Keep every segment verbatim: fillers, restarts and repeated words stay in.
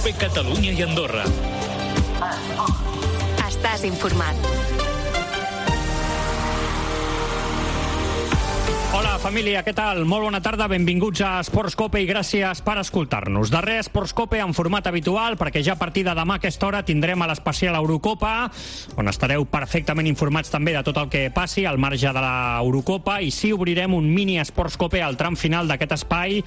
COPE Catalunya i Andorra. Estàs informat. Hola, família, què tal? Molt bona tarda, benvinguts a Esports Cope i gràcies per escoltar-nos. Darrer Esports Cope en format habitual, perquè ja a partir de demà a aquesta hora tindrem a l'especial Eurocopa, on estareu perfectament informats també de tot el que passi al marge de l'Eurocopa, i sí obrirem un mini Esports Cope al tram final d'aquest espai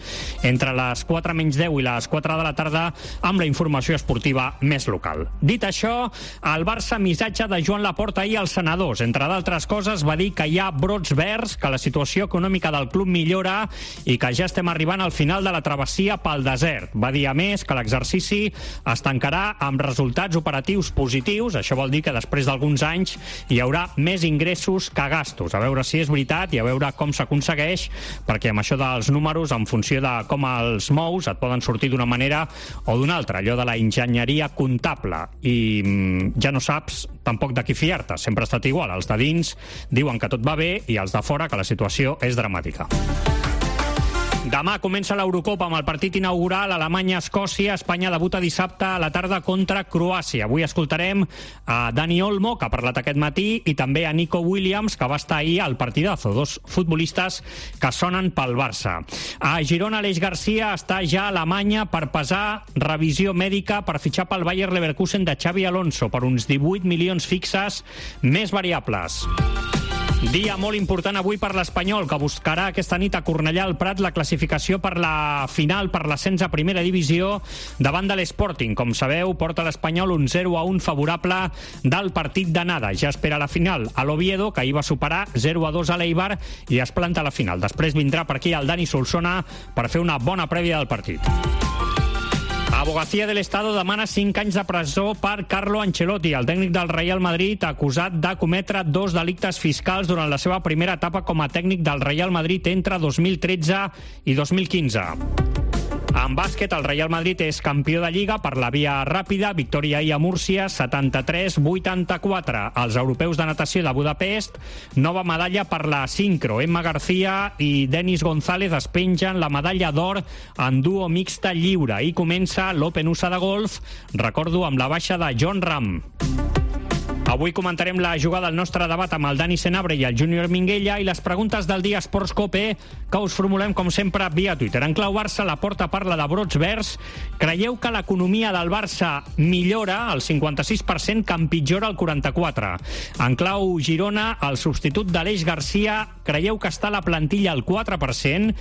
entre les quatre menys deu i les quatre de la tarda amb la informació esportiva més local. Dit això, el Barça missatge de Joan Laporta ahir als senadors. Entre d'altres coses va dir que hi ha brots verds, que la situació econòmica del club millora i que ja estem arribant al final de la travessia pel desert. Va dir a més que l'exercici es tancarà amb resultats operatius positius. Això vol dir que després d'alguns anys hi haurà més ingressos que gastos. A veure si és veritat i a veure com s'aconsegueix, perquè amb això dels números, en funció de com els mous, et poden sortir d'una manera o d'una altra. Allò de la enginyeria comptable. I mm, ja no saps tampoc de qui fiar-te. Sempre ha estat igual. Els de dins diuen que tot va bé i els de fora que la situació és dramàtica. Demà comença l'Eurocopa amb el partit inaugural Alemanya-Escòcia. Espanya debuta dissabte a la tarda contra Croàcia. Avui escoltarem a Dani Olmo, que ha parlat aquest matí, i també a Nico Williams, que va estar ahir al partidazo. Dos futbolistes que sonen pel Barça. A Girona, Aleix Garcia està ja a Alemanya per pesar revisió mèdica per fitxar pel Bayer Leverkusen de Xavi Alonso per uns divuit milions fixes més variables. Dia molt important avui per l'Espanyol, que buscarà aquesta nit a Cornellà al Prat la classificació per la final per l'ascens a primera divisió davant de l'Sporting. Com sabeu, porta l'Espanyol un zero a un favorable del partit d'anada. Ja espera la final a l'Oviedo, que ahir va superar zero a dos a l'Eibar i es planta a la final. Després vindrà per aquí el Dani Solsona per fer una bona prèvia del partit. Abogacía del Estado demana cinc anys de presó per Carlo Ancelotti, el tècnic del Real Madrid, acusat de cometre dos delictes fiscals durant la seva primera etapa com a tècnic del Real Madrid entre dos mil tretze i dos mil quinze. En bàsquet, el Real Madrid és campió de Lliga per la via ràpida, victòria ahir a Múrcia, setanta-tres a vuitanta-quatre. Els europeus de natació de Budapest, nova medalla per la sincro. Emma García i Denis González es pengen la medalla d'or en duo mixta lliure. I comença l'Open U S A de golf, recordo, amb la baixa de Jon Rahm. Avui comentarem la jugada del nostre debat amb el Dani Senabre i el Júnior Minguella i les preguntes del dia Esports Cope, que us formulem, com sempre, via Twitter. En clau Barça, Laporta parla de brots verds. Creieu que l'economia del Barça millora al cinquanta-sis per cent, que empitjora el quaranta-quatre per cent? En clau Girona, el substitut d'Aleix Garcia, creieu que està a la plantilla al quatre per cent?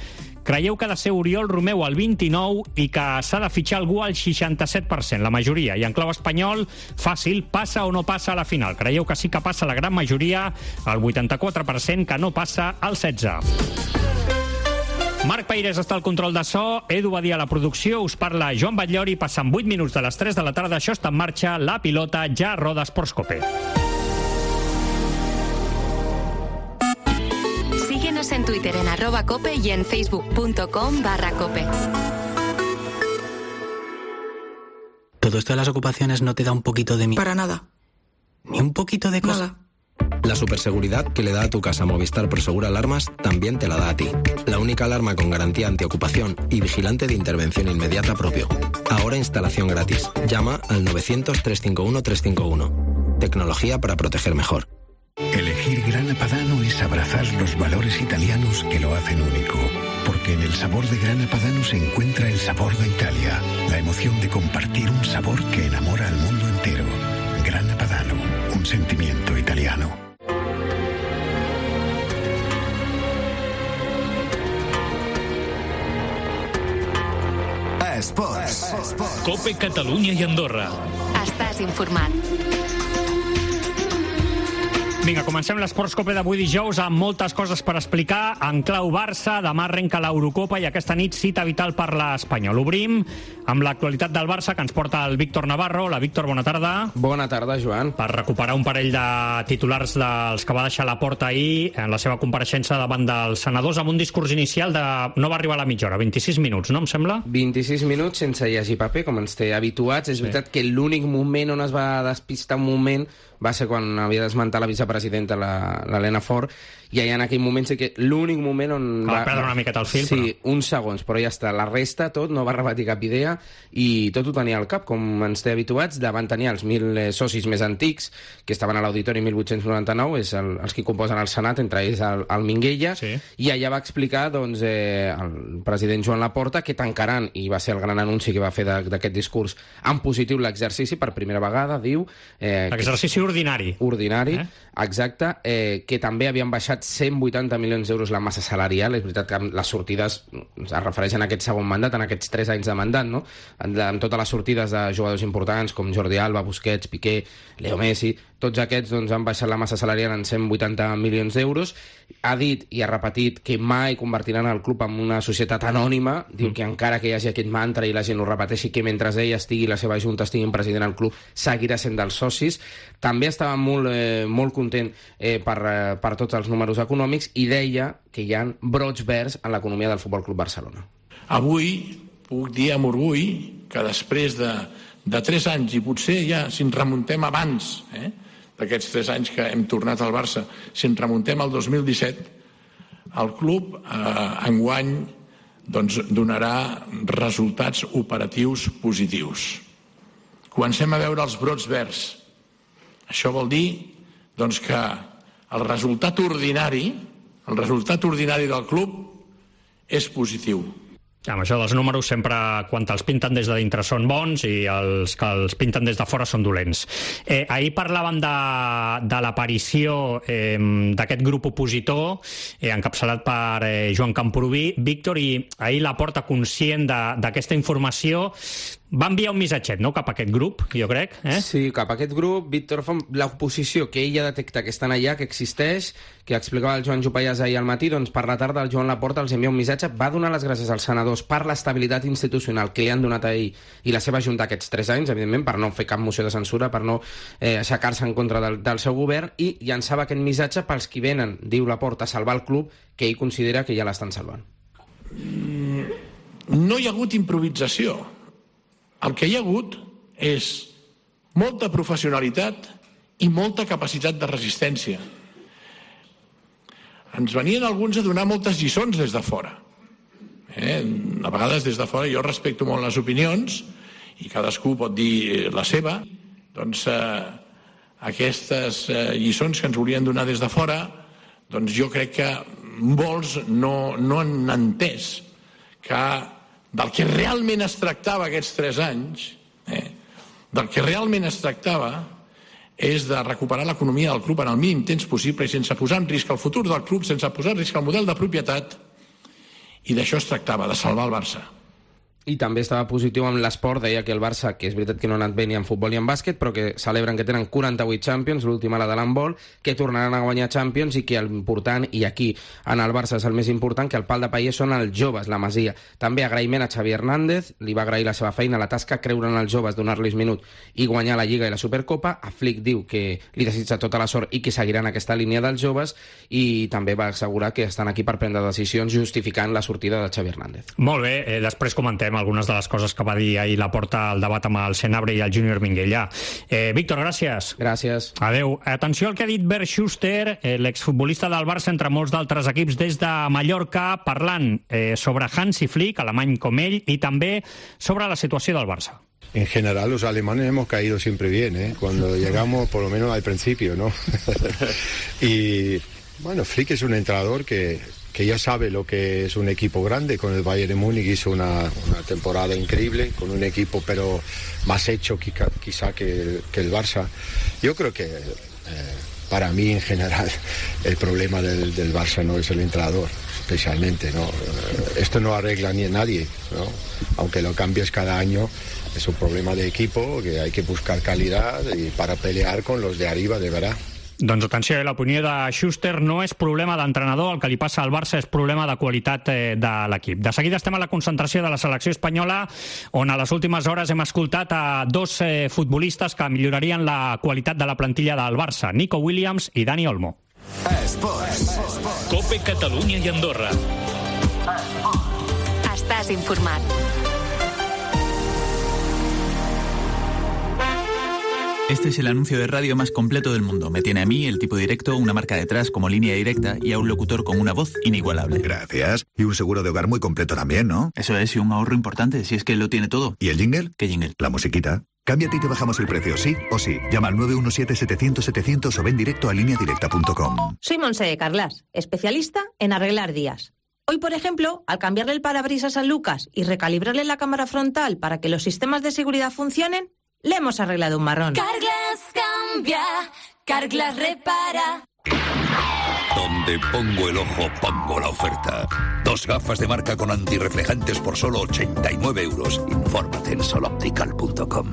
Creieu que ha de ser Oriol Romeu al vint-i-nou i que s'ha de fitxar algú al seixanta-set per cent, la majoria. I en clau espanyol, fàcil, passa o no passa a la final. Creieu que sí que passa la gran majoria, el vuitanta-quatre per cent, que no passa al setze per cent. Marc Peirés està al control de so, Edu Badia a la producció, us parla Joan Batllori, passen vuit minuts de les tres de la tarda, això està en marxa, la pilota ja roda Esports Cope. Síguenos en Twitter en arroba cope y en facebook.com barra cope. ¿Todo esto de las ocupaciones no te da un poquito de miedo? Para nada. ¿Ni un poquito de cosa? Nada. La superseguridad que le da a tu casa Movistar Prosegur Alarmas también te la da a ti. La única alarma con garantía antiocupación y vigilante de intervención inmediata propio. Ahora instalación gratis. Llama al novecientos, trescientos cincuenta y uno, trescientos cincuenta y uno. Tecnología para proteger mejor. Elegir Grana Padano es abrazar los valores italianos que lo hacen único. Porque en el sabor de Grana Padano se encuentra el sabor de Italia. La emoción de compartir un sabor que enamora al mundo entero. Grana Padano, un sentimiento italiano. Esports. Cope Catalunya i Andorra. Estàs informat. Vinga, comencem l'Esports Cope d'avui dijous amb moltes coses per explicar. En clau Barça, demà arrenca l'Eurocopa i aquesta nit cita vital per l'Espanyol. Obrim amb l'actualitat del Barça, que ens porta el Víctor Navarro. Hola, Víctor, bona tarda. Bona tarda, Joan. Per recuperar un parell de titulars dels que va deixar la porta ahir en la seva compareixença davant dels senadors amb un discurs inicial de... no va arribar a la mitja hora, vint-i-sis minuts, no em sembla? vint-i-sis minuts sense llegir paper, com ens té habituats. És sí. veritat que l'únic moment on es va despistar un moment va ser quan havia d'esmentar la vicepresidenta, l'Helena Fort, i allà en aquell moment sé que l'únic moment on va perdre una miqueta el fil, sí, però... uns segons, però ja està, la resta tot no va repetir cap idea i tot ho tenia al cap, com ens té habituats. Davant tenia els mil socis més antics que estaven a l'auditori mil vuit-cents noranta-nou, és el, els que composen el Senat, entre ells el, el Minguella, sí. I allà va explicar doncs, eh, el president Joan Laporta que tancaran, i va ser el gran anunci que va fer d'aquest discurs, en positiu l'exercici per primera vegada, diu... Eh, exercici ordinari. Ordinari, eh? Exacte, eh, que també havien baixat cent vuitanta milions d'euros la massa salarial. És veritat que les sortides es refereixen a aquest segon mandat, en aquests tres anys de mandat, no? Amb totes les sortides de jugadors importants com Jordi Alba, Busquets, Piqué, Leo Messi, tots aquests doncs, han baixat la massa salarial en cent vuitanta milions d'euros. Ha dit i ha repetit que mai convertiran el club en una societat anònima. Diu que encara que hi hagi aquest mantra i la gent ho repeteixi, que mentre ell estigui, la seva junta estiguin president del club, seguirà sent dels socis. També estava molt, eh, molt content eh, per, eh, per tots els números econòmics i deia que hi ha brots verds en l'economia del Futbol Club Barcelona. Avui puc dir amb orgull que després de, de tres anys, i potser ja si ens remuntem abans, eh, d'aquests tres anys que hem tornat al Barça, si ens remuntem al dos mil disset, el club eh, enguany doncs, donarà resultats operatius positius. Comencem a veure els brots verds. Això vol dir doncs, que el resultat ordinari, el resultat ordinari del club és positiu. Amb això dels números sempre, quan els pinten des de dintre són bons i els que els pinten des de fora són dolents. Eh, ahir parlàvem de, de l'aparició eh, d'aquest grup opositor eh, encapçalat per eh, Joan Camprubí. Víctor, i ahir Laporta, conscient d'aquesta informació, va enviar un missatget, no?, cap a aquest grup, jo crec. Eh? Sí, cap a aquest grup. Víctor fa l'oposició que ella detecta que estan allà, que existeix, que explicava el Joan Jopallàs ahir al matí, doncs per la tarda el Joan Laporta els envia un missatge, va donar les gràcies als senadors per l'estabilitat institucional que li han donat a ell i la seva junta aquests tres anys, evidentment, per no fer cap moció de censura, per no eh, aixecar-se en contra del, del seu govern, i llançava aquest missatge pels qui venen, diu Laporta, a salvar el club, que ell considera que ja l'estan salvant. Mm, no hi ha hagut improvisació. El que hi ha hagut és molta professionalitat i molta capacitat de resistència. Ens venien alguns a donar moltes lliçons des de fora. Eh? A vegades des de fora jo respecto molt les opinions i cadascú pot dir la seva. Doncs eh, aquestes eh, lliçons que ens volien donar des de fora, doncs jo crec que molts no, no han entès que del que realment es tractava aquests tres anys, eh, del que realment es tractava és de recuperar l'economia del club en el mínim temps possible i sense posar en risc el futur del club, sense posar en risc el model de propietat, i d'això es tractava, de salvar el Barça. I també estava positiu amb l'esport, deia que el Barça, que és veritat que no ha anat bé ni en futbol ni en bàsquet, però que celebren que tenen quaranta-vuit Champions, l'última la de l'handbol, que tornaran a guanyar Champions i que l'important, i aquí en el Barça és el més important, que el pal de paller són els joves, la Masia. També agraïment a Xavi Hernández, li va agrair la seva feina, la tasca, creure en els joves, donar-los minut i guanyar la Lliga i la Supercopa. A Flick diu que li desitja tota la sort i que seguiran aquesta línia dels joves, i també va assegurar que estan aquí per prendre decisions justificant la sortida de Xavi Hernández. Molt bé, eh, després comentem algunes de les coses que va dir ahir Laporta al debat amb el Senabre i el Júnior Minguella. Eh, Víctor, gràcies. Gràcies. Adéu. Atenció al que ha dit Bert Schuster, eh, l'exfutbolista del Barça, entre molts d'altres equips, des de Mallorca, parlant eh, sobre Hansi Flick, alemany com ell, i també sobre la situació del Barça. En general, los alemanes hemos caído siempre bien, ¿eh? Cuando llegamos, por lo menos al principio, ¿no? Y, bueno, Flick es un entrenador que... que ya sabe lo que es un equipo grande. Con el Bayern de Múnich hizo una, una temporada increíble, con un equipo pero más hecho quizá, quizá que, que el Barça. Yo creo que eh, para mí en general el problema del, del Barça no es el entrenador, especialmente, ¿no? Esto no arregla ni a nadie, ¿no? Aunque lo cambies cada año, es un problema de equipo que hay que buscar calidad y para pelear con los de arriba, de verdad. Doncs atenció, l'opinió de Schuster no és problema d'entrenador, el que li passa al Barça és problema de qualitat eh, de l'equip. De seguida estem a la concentració de la selecció espanyola, on a les últimes hores hem escoltat a dos eh, futbolistes que millorarien la qualitat de la plantilla del Barça, Nico Williams i Dani Olmo. Esports. Cope Catalunya i Andorra. Estàs informat. Este es el anuncio de radio más completo del mundo. Me tiene a mí, el tipo directo, una marca detrás como línea directa y a un locutor con una voz inigualable. Gracias. Y un seguro de hogar muy completo también, ¿no? Eso es, y un ahorro importante, si es que lo tiene todo. ¿Y el jingle? ¿Qué jingle? La musiquita. Cámbiate y te bajamos el precio, sí o sí. Llama al nueve uno siete setecientos setecientos o ven directo a línea directa punto com. Soy Montse de Carlas, especialista en arreglar días. Hoy, por ejemplo, al cambiarle el parabrisas a Lucas y recalibrarle la cámara frontal para que los sistemas de seguridad funcionen, le hemos arreglado un marrón. Carglass cambia, Carglass repara. Donde pongo el ojo, pongo la oferta. Dos gafas de marca con antirreflejantes por solo ochenta y nueve euros. Infórmate en sol optical punto com.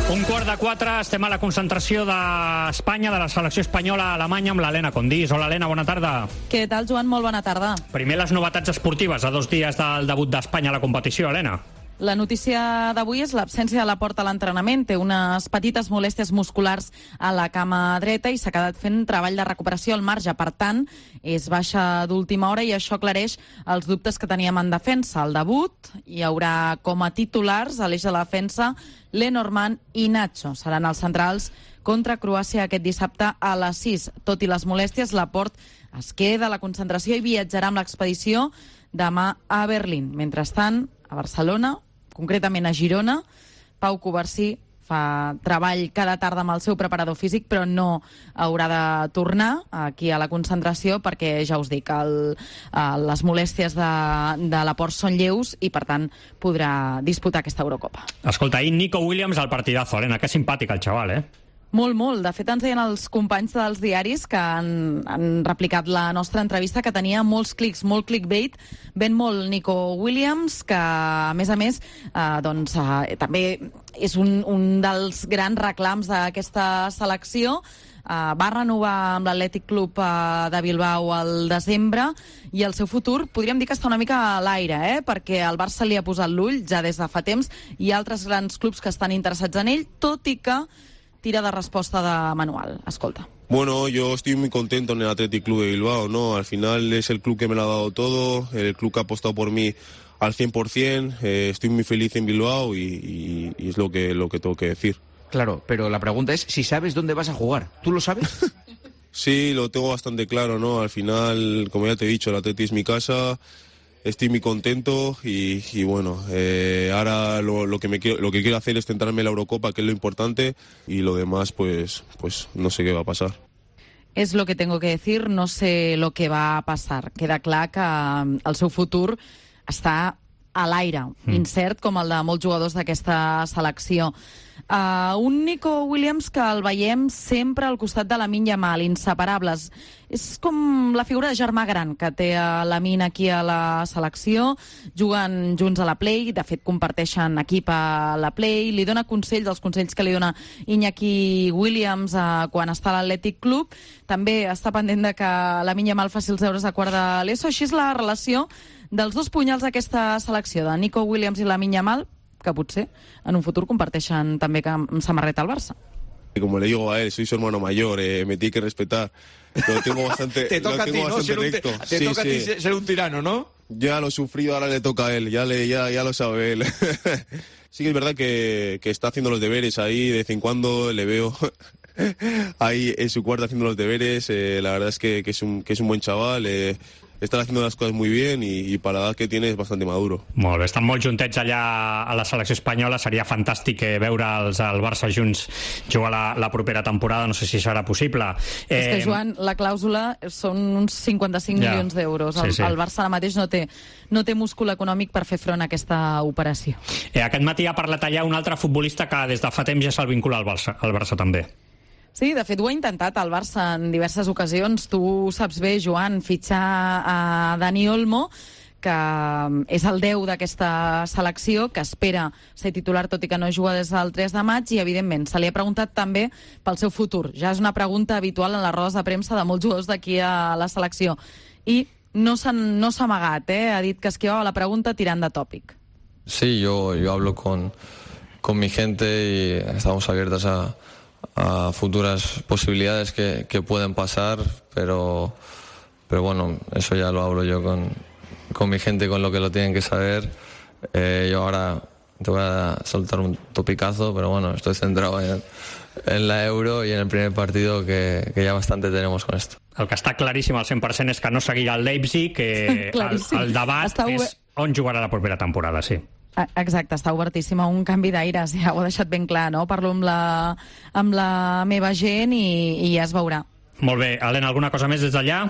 Un quart de quatre, estem a la concentració d'Espanya, de la selecció espanyola a Alemanya, amb l'Helena Condís. Hola, Helena, bona tarda. Què tal, Joan? Molt bona tarda. Primer, les novetats esportives a dos dies del debut d'Espanya a la competició, Helena. La notícia d'avui és l'absència de la Porta a l'entrenament. Té unes petites molèsties musculars a la cama dreta i s'ha quedat fent treball de recuperació al marge. Per tant, és baixa d'última hora i això aclareix els dubtes que teníem en defensa. Al debut hi haurà com a titulars a l'eix de la defensa Lenormand i Nacho. Seran els centrals contra Croàcia aquest dissabte a les sis. Tot i les molèsties, Laporte es queda a la concentració i viatjarà amb l'expedició demà a Berlín. Mentrestant, a Barcelona, concretament a Girona, Pau Covarsí fa treball cada tarda amb el seu preparador físic, però no haurà de tornar aquí a la concentració perquè, ja us dic, el, les molèsties de, de Laporte són lleus i, per tant, podrà disputar aquesta Eurocopa. Escolta, ahir Nico Williams al partidazo, Helena, que simpàtic el xaval, eh? Molt, molt. De fet, ens deien els companys dels diaris que han, han replicat la nostra entrevista que tenia molts clics, molt clickbait. Ben molt Nico Williams, que, a més a més, eh, doncs, eh, també és un, un dels grans reclams d'aquesta selecció. Uh, va renovar amb l'Atlètic Club uh, de Bilbao al desembre i el seu futur podríem dir que està una mica a l'aire, eh? Perquè el Barça li ha posat l'ull ja des de fa temps i altres grans clubs que estan interessats en ell, tot i que tira de resposta de manual. Escolta. Bueno, yo estoy muy contento en el Athletic Club de Bilbao, ¿no? Al final es el club que me lo ha dado todo, el club que ha apostado por mí al cien por ciento, eh, estoy muy feliz en Bilbao y, y, y es lo que, lo que tengo que decir. Claro, pero la pregunta es si sabes dónde vas a jugar. ¿Tú lo sabes? Sí, lo tengo bastante claro, ¿no? Al final, como ya te he dicho, el Atleti es mi casa. Estoy muy contento y, y bueno, eh, ahora lo, lo, que me quiero, lo que quiero hacer es centrarme en la Eurocopa, que es lo importante, y lo demás, pues, pues no sé qué va a pasar. És lo que tengo que decir, no sé lo que va a passar. Queda clar que el seu futur està a l'aire, mm. incert com el de molts jugadors d'aquesta selecció. Uh, un Nico Williams que el veiem sempre al costat de Lamine Yamal, inseparables. És com la figura de germà gran que té Lamine aquí a la selecció. Juguen junts a la Play, de fet comparteixen equip a la Play, li dona consells, els consells que li dona Iñaki Williams uh, quan està a l'Atlètic Club. També està pendent de que Lamine Yamal faci els deures a quart de l'ESO. Així és la relació dels dos punyals d'aquesta selecció, de Nico Williams i Lamine Yamal, que potser en un futur comparteixen també amb samarreta al Barça. Como le digo a él, soy su hermano mayor, eh, me tiene que respetar. Lo tengo bastante, te toca lo tengo a ti, ¿no? bastante Ser un, recto. te sí, toca sí. a ti ser un tirano, ¿no? Ya lo he sufrido, ahora le toca a él, ya, le, ya, ya lo sabe él. Sí que es verdad que, que está haciendo los deberes ahí, de vez en cuando le veo ahí en su cuarto haciendo los deberes. Eh, la verdad es que, que, es un, que es un buen chaval. Eh, Están haciendo las cosas muy bien y, y para la edad que tiene es bastante maduro. Molt bé, estan molt juntets allà a la selecció espanyola. Seria fantàstic veure'ls al Barça junts jugar la, la propera temporada. No sé si serà possible. Eh... És que, Joan, la clàusula són uns cinquanta-cinc ja. milions d'euros. El, sí, sí. el Barça ara mateix no té, no té múscul econòmic per fer front a aquesta operació. Eh, aquest matí ha parlat allà un altre futbolista que des de fa temps ja se'l vincula al Barça, al Barça també. Sí, de fet ho ha intentat el Barça en diverses ocasions. Tu saps bé, Joan, fitxar a Dani Olmo, que és el deu d'aquesta selecció, que espera ser titular tot i que no juga des del tres de maig, i evidentment se li ha preguntat també pel seu futur. Ja és una pregunta habitual en les rodes de premsa de molts jugadors d'aquí a la selecció. I no s'ha no s'ha amagat, eh? Ha dit que esquivava la pregunta tirant de tòpic. Sí, yo, yo hablo con, con mi gente y estamos abiertas a a futuras posibilidades que, que pueden pasar, pero, pero bueno, eso ya lo hablo yo con, con mi gente, con lo que lo tienen que saber. Eh, yo ahora te voy a soltar un topicazo, pero bueno, estoy centrado en, en la Euro y en el primer partido, que, que ja bastante tenemos con esto. El que està claríssim al cent per cent és que no seguirà el Leipzig, que el, el debat està és on jugarà la propera temporada, sí. Exacte, està obertíssim a un canvi d'aires, ja ho he deixat ben clar, no? Parlo amb la, amb la meva gent i, i ja es veurà. Molt bé. Helena, alguna cosa més des d'allà?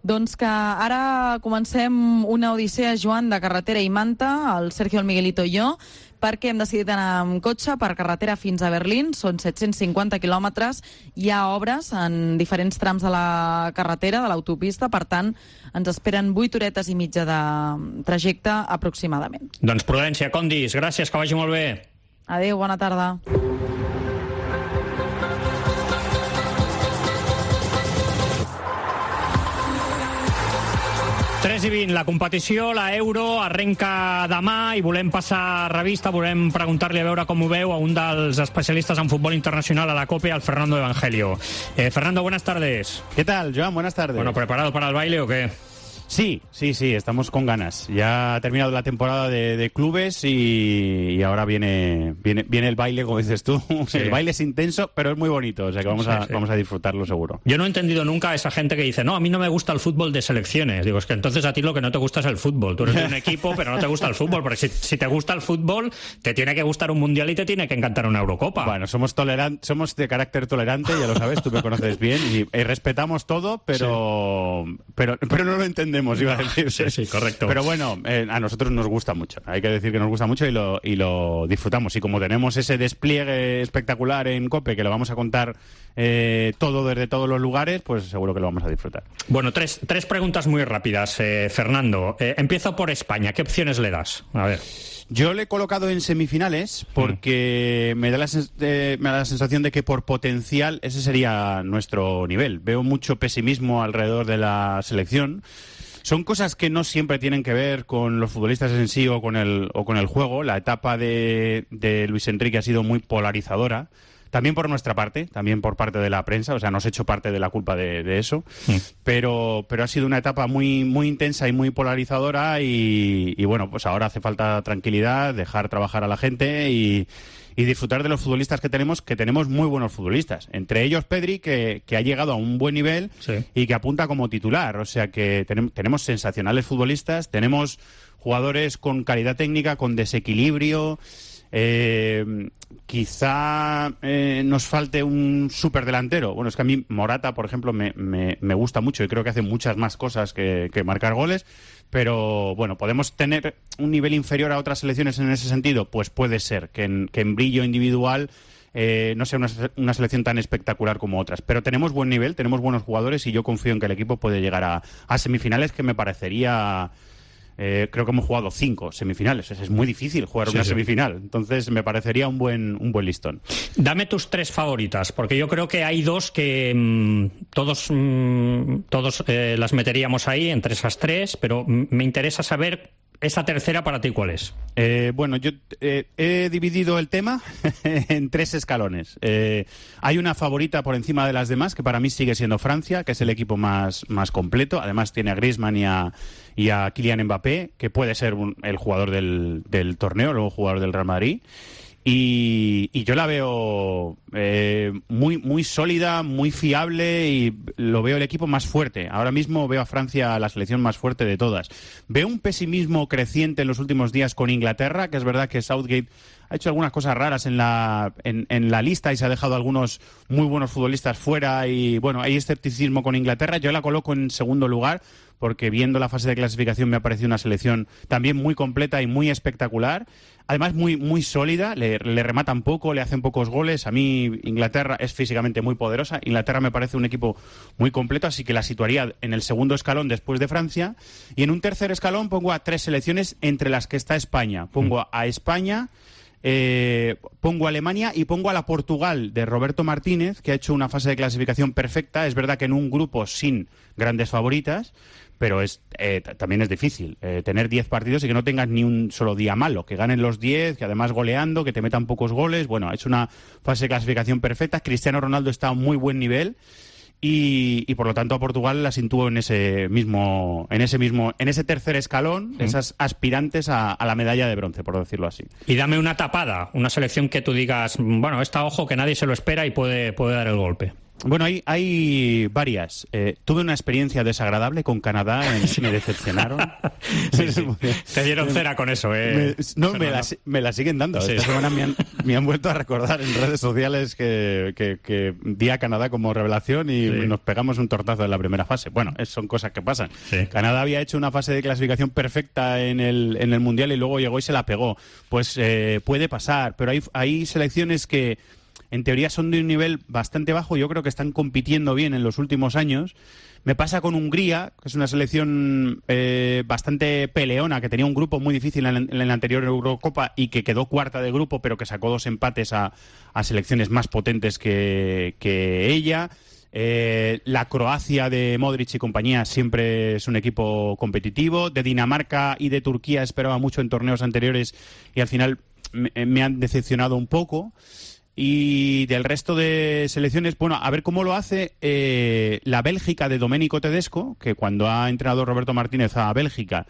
Doncs que ara comencem una odissea, Joan, de carretera i manta, el Sergio, el Miguelito i jo, perquè hem decidit anar amb cotxe per carretera fins a Berlín. Són set-cents cinquanta quilòmetres. Hi ha obres en diferents trams de la carretera, de l'autopista, per tant, ens esperen vuit horetes i mitja de trajecte aproximadament. Doncs Prudència, Condis, gràcies, que vagi molt bé. Adéu, bona tarda. tres i vint, la competició, la Euro, arrenca demà i volem passar revista, volem preguntar-li a veure com ho veu a un dels especialistes en futbol internacional a la COPE, al Fernando Evangelio. Eh, Fernando, buenas tardes. ¿Qué tal, Joan? Buenas tardes. Bueno, ¿preparado para el baile o qué? Sí, sí, sí, estamos con ganas. Ya ha terminado la temporada de, de clubes y, y ahora viene, viene viene el baile, como dices tú. Sí. El baile es intenso, pero es muy bonito, o sea que vamos, sí, a, sí. vamos a disfrutarlo seguro. Yo no he entendido nunca a esa gente que dice, no, a mí no me gusta el fútbol de selecciones. Digo, es que entonces a ti lo que no te gusta es el fútbol. Tú eres de un equipo, pero no te gusta el fútbol, porque si, si te gusta el fútbol, te tiene que gustar un mundial y te tiene que encantar una Eurocopa. Bueno, somos toleran somos de carácter tolerante, ya lo sabes, tú me conoces bien, y, y respetamos todo, pero, sí. pero, pero no lo entendemos, iba a decir. Sí, sí, correcto. Pero bueno, eh, a nosotros nos gusta mucho. Hay que decir que nos gusta mucho y lo, y lo disfrutamos. Y como tenemos ese despliegue espectacular en COPE, que lo vamos a contar eh, todo desde todos los lugares, pues seguro que lo vamos a disfrutar. Bueno, tres, tres preguntas muy rápidas, eh, Fernando. Eh, empiezo por España. ¿Qué opciones le das? A ver. Yo le he colocado en semifinales porque mm. me, da la eh, me da la sensación de que por potencial ese sería nuestro nivel. Veo mucho pesimismo alrededor de la selección. Son cosas que no siempre tienen que ver con los futbolistas en sí o con el, o con el juego. La etapa de, de Luis Enrique ha sido muy polarizadora. También por nuestra parte, también por parte de la prensa, o sea, nos he hecho parte de la culpa de, de eso, sí. pero, pero ha sido una etapa muy, muy intensa y muy polarizadora y, y bueno, pues ahora hace falta tranquilidad, dejar trabajar a la gente y, y disfrutar de los futbolistas que tenemos, que tenemos muy buenos futbolistas. Entre ellos Pedri, que, que ha llegado a un buen nivel sí. y que apunta como titular, o sea que ten, tenemos sensacionales futbolistas, tenemos jugadores con calidad técnica, con desequilibrio. Eh, quizá eh, nos falte un superdelantero. Bueno, es que a mí Morata, por ejemplo, me, me, me gusta mucho y creo que hace muchas más cosas que, que marcar goles, pero bueno, ¿podemos tener un nivel inferior a otras selecciones en ese sentido? Pues puede ser, que en, que en brillo individual eh, no sea una, una selección tan espectacular como otras, pero tenemos buen nivel, tenemos buenos jugadores y yo confío en que el equipo puede llegar a, a semifinales, que me parecería... Eh, creo que hemos jugado cinco semifinales. Es muy difícil jugar sí, una sí. semifinal. Entonces me parecería un buen un buen listón. Dame tus tres favoritas, porque yo creo que hay dos que mmm, todos mmm, todos eh, las meteríamos ahí entre esas tres, pero me interesa saber esa tercera para ti, ¿cuál es? Eh, bueno, yo eh, he dividido el tema en tres escalones. Eh, hay una favorita por encima de las demás, que para mí sigue siendo Francia, que es el equipo más, más completo. Además tiene a Griezmann y a, y a Kylian Mbappé, que puede ser un, el jugador del, del torneo, luego jugador del Real Madrid. Y, y yo la veo eh, muy, muy sólida, muy fiable y lo veo el equipo más fuerte. Ahora mismo veo a Francia la selección más fuerte de todas. Veo un pesimismo creciente en los últimos días con Inglaterra, que es verdad que Southgate ha hecho algunas cosas raras en la, en, en la lista y se ha dejado algunos muy buenos futbolistas fuera y bueno, hay escepticismo con Inglaterra. Yo la coloco en segundo lugar porque viendo la fase de clasificación me ha parecido una selección también muy completa y muy espectacular. Además muy muy sólida, le, le rematan poco, le hacen pocos goles. A mí Inglaterra es físicamente muy poderosa. Inglaterra me parece un equipo muy completo, así que la situaría en el segundo escalón después de Francia. Y en un tercer escalón pongo a tres selecciones entre las que está España. Pongo a, a España, eh, pongo a Alemania y pongo a la Portugal de Roberto Martínez, que ha hecho una fase de clasificación perfecta. Es verdad que en un grupo sin grandes favoritas, pero es eh, también es difícil eh, tener diez partidos y que no tengas ni un solo día malo, que ganen los diez, que además goleando, que te metan pocos goles. Bueno, es una fase de clasificación perfecta. Cristiano Ronaldo está a un muy buen nivel Y, y por lo tanto a Portugal la sitúo en ese mismo, en ese mismo, en ese tercer escalón, mm. esas aspirantes a, a la medalla de bronce, por decirlo así. Y dame una tapada, una selección que tú digas, bueno, esta ojo que nadie se lo espera y puede, puede dar el golpe. Bueno, hay, hay varias. Eh, tuve una experiencia desagradable con Canadá, en, me decepcionaron. Sí, sí. Te dieron cera con eso, ¿eh? Me, no, me la, me la siguen dando. Sí. Esta semana me han, me han vuelto a recordar en redes sociales que, que, que di a Canadá como revelación y sí. nos pegamos un tortazo en la primera fase. Bueno, es, son cosas que pasan. Sí. Canadá había hecho una fase de clasificación perfecta en el, en el Mundial y luego llegó y se la pegó. Pues eh, puede pasar, pero hay, hay selecciones que en teoría son de un nivel bastante bajo. Yo creo que están compitiendo bien en los últimos años. Me pasa con Hungría, que es una selección eh, bastante peleona, que tenía un grupo muy difícil en, en la anterior Eurocopa y que quedó cuarta de grupo, pero que sacó dos empates a, a selecciones más potentes que, que ella. Eh, la Croacia de Modric y compañía siempre es un equipo competitivo. De Dinamarca y de Turquía esperaba mucho en torneos anteriores y al final me, me han decepcionado un poco. Y del resto de selecciones, bueno, a ver cómo lo hace eh, la Bélgica de Domenico Tedesco, que cuando ha entrenado Roberto Martínez a Bélgica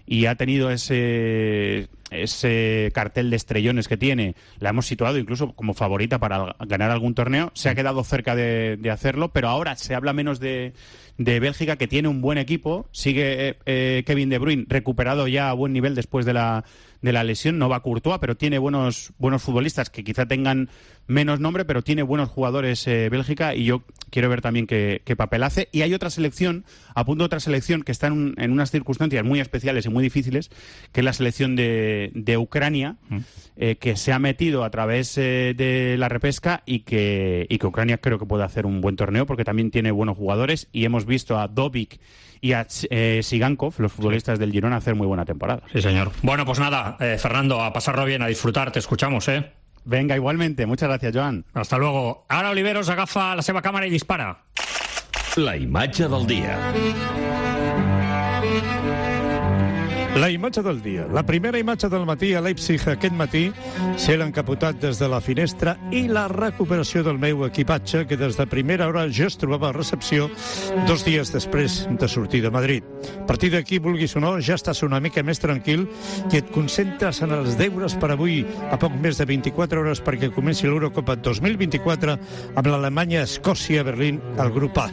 y ha tenido ese, ese cartel de estrellones que tiene, la hemos situado incluso como favorita para ganar algún torneo. Se ha quedado cerca de, de hacerlo, pero ahora se habla menos de, de Bélgica, que tiene un buen equipo. Sigue eh, Kevin De Bruyne recuperado ya a buen nivel después de la de la lesión. No va Courtois, pero tiene buenos buenos futbolistas que quizá tengan menos nombre, pero tiene buenos jugadores eh, Bélgica, y yo quiero ver también qué, qué papel hace. Y hay otra selección, apunto otra selección que está en, un, en unas circunstancias muy especiales y muy difíciles, que es la selección de, de Ucrania, mm. eh, que se ha metido a través eh, de la repesca y que, y que Ucrania creo que puede hacer un buen torneo porque también tiene buenos jugadores, y hemos visto a Dobic y a eh, Sigankov, los futbolistas del Girona, hacer muy buena temporada. Sí, señor. Bueno, pues nada, eh, Fernando, a pasarlo bien, a disfrutar, te escuchamos, ¿eh? Venga, igualmente. Muchas gracias, Joan. Hasta luego. Ara Oliveros agafa la seva càmera i dispara. La imatge del dia. La imatge del dia. La primera imatge del matí a Leipzig aquest matí, ser encapotat des de la finestra i la recuperació del meu equipatge, que des de primera hora ja es trobava a recepció dos dies després de sortir de Madrid. A partir d'aquí, vulguis o no, ja estàs una mica més tranquil i et concentres en els deures per avui, a poc més de vint-i-quatre hores perquè comenci l'Eurocopa dos mil vint-i-quatre amb l'Alemanya, Escòcia, Berlín, al grup A.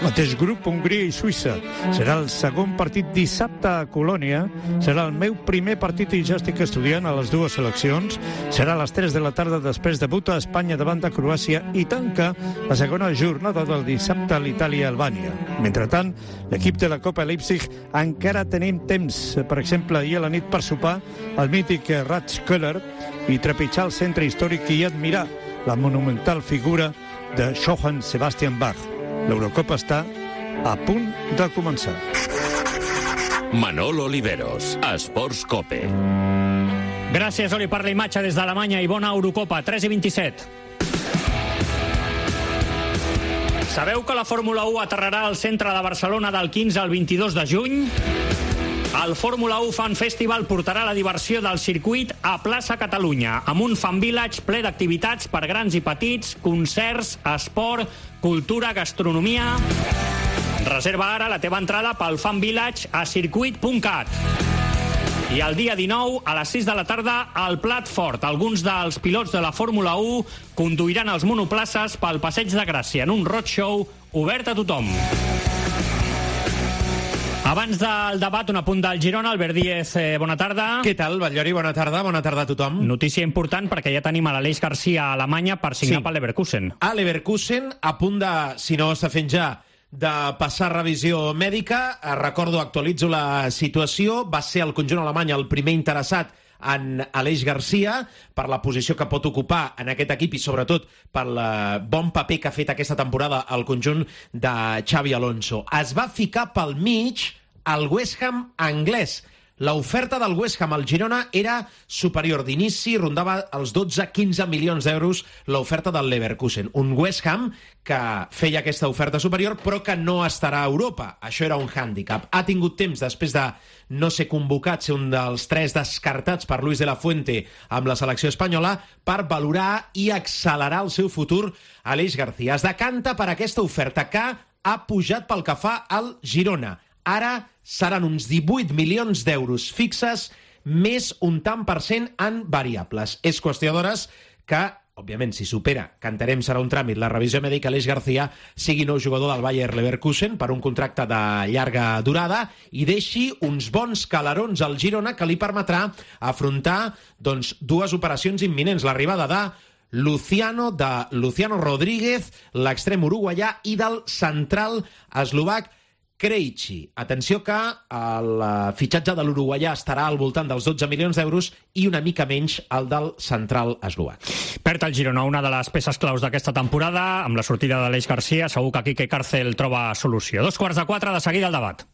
Mateix grup, Hongria i Suïssa. Serà el segon partit dissabte a Colònia. Serà el meu primer partit i ja estic estudiant a les dues seleccions. Serà a les tres de la tarda, després debuta a Espanya davant de Croàcia i tanca la segona jornada del dissabte a l'Itàlia-Albània. Mentrestant, l'equip de la Copa Leipzig encara tenim temps, per exemple, ahir a la nit per sopar al mític Rathskeller i trepitjar el centre històric i admirar la monumental figura de Johann Sebastian Bach. L'Eurocopa està a punt de començar. Manolo Oliveros, Esports Cope. Gràcies, Oli, per la imatge des d'Alemanya i bona Eurocopa, tres i vint-i-set. Sabeu que la Fórmula u aterrarà al centre de Barcelona del quinze al vint-i-dos de juny? El Fórmula u Fan Festival portarà la diversió del circuit a plaça Catalunya, amb un fan village ple d'activitats per grans i petits, concerts, esport, cultura, gastronomia. Reserva ara la teva entrada pel Fan Village a circuit punt cat. I el dia dinou, a les sis de la tarda, al Plat Fort, alguns dels pilots de la Fórmula u conduiran els monoplaces pel Passeig de Gràcia en un roadshow obert a tothom. Abans del debat, un apunt del Girona. Albert Díez, eh, bona tarda. Què tal, Batllori? Bona tarda, bona tarda a tothom. Notícia important perquè ja tenim a l'Aleix Garcia a Alemanya per signar sí. pel Leverkusen. A Leverkusen, a punt de, si no està fent ja, de passar revisió mèdica. Recordo, actualitzo la situació. Va ser el conjunt alemany el primer interessat en Aleix Garcia per la posició que pot ocupar en aquest equip i sobretot pel bon paper que ha fet aquesta temporada el conjunt de Xavi Alonso. Es va ficar pel mig el West Ham anglès. L'oferta del West Ham al Girona era superior d'inici, rondava els dotze a quinze milions d'euros l'oferta del Leverkusen. Un West Ham que feia aquesta oferta superior però que no estarà a Europa. Això era un hàndicap. Ha tingut temps, després de no ser convocat, ser un dels tres descartats per Luis de la Fuente amb la selecció espanyola, per valorar i accelerar el seu futur. Aleix García es decanta per aquesta oferta que ha pujat pel que fa al Girona. Ara seran uns divuit milions d'euros fixes, més un tant per cent en variables. És qüestió d'hores que, òbviament, si supera, que entenem serà un tràmit, la revisió mèdica, Aleix García sigui nou jugador del Bayer Leverkusen per un contracte de llarga durada i deixi uns bons calarons al Girona que li permetrà afrontar doncs, dues operacions imminents. L'arribada de Luciano, de Luciano Rodríguez, l'extrem uruguaià, i del central eslovac Krejci. Atenció que el fitxatge de l'uruguaià estarà al voltant dels dotze milions d'euros i una mica menys el del central eslovac. Perd el Girona, una de les peces claus d'aquesta temporada. Amb la sortida d'Aleix García, segur que Quique Cárcel troba solució. Dos quarts de quatre, de seguida el debat.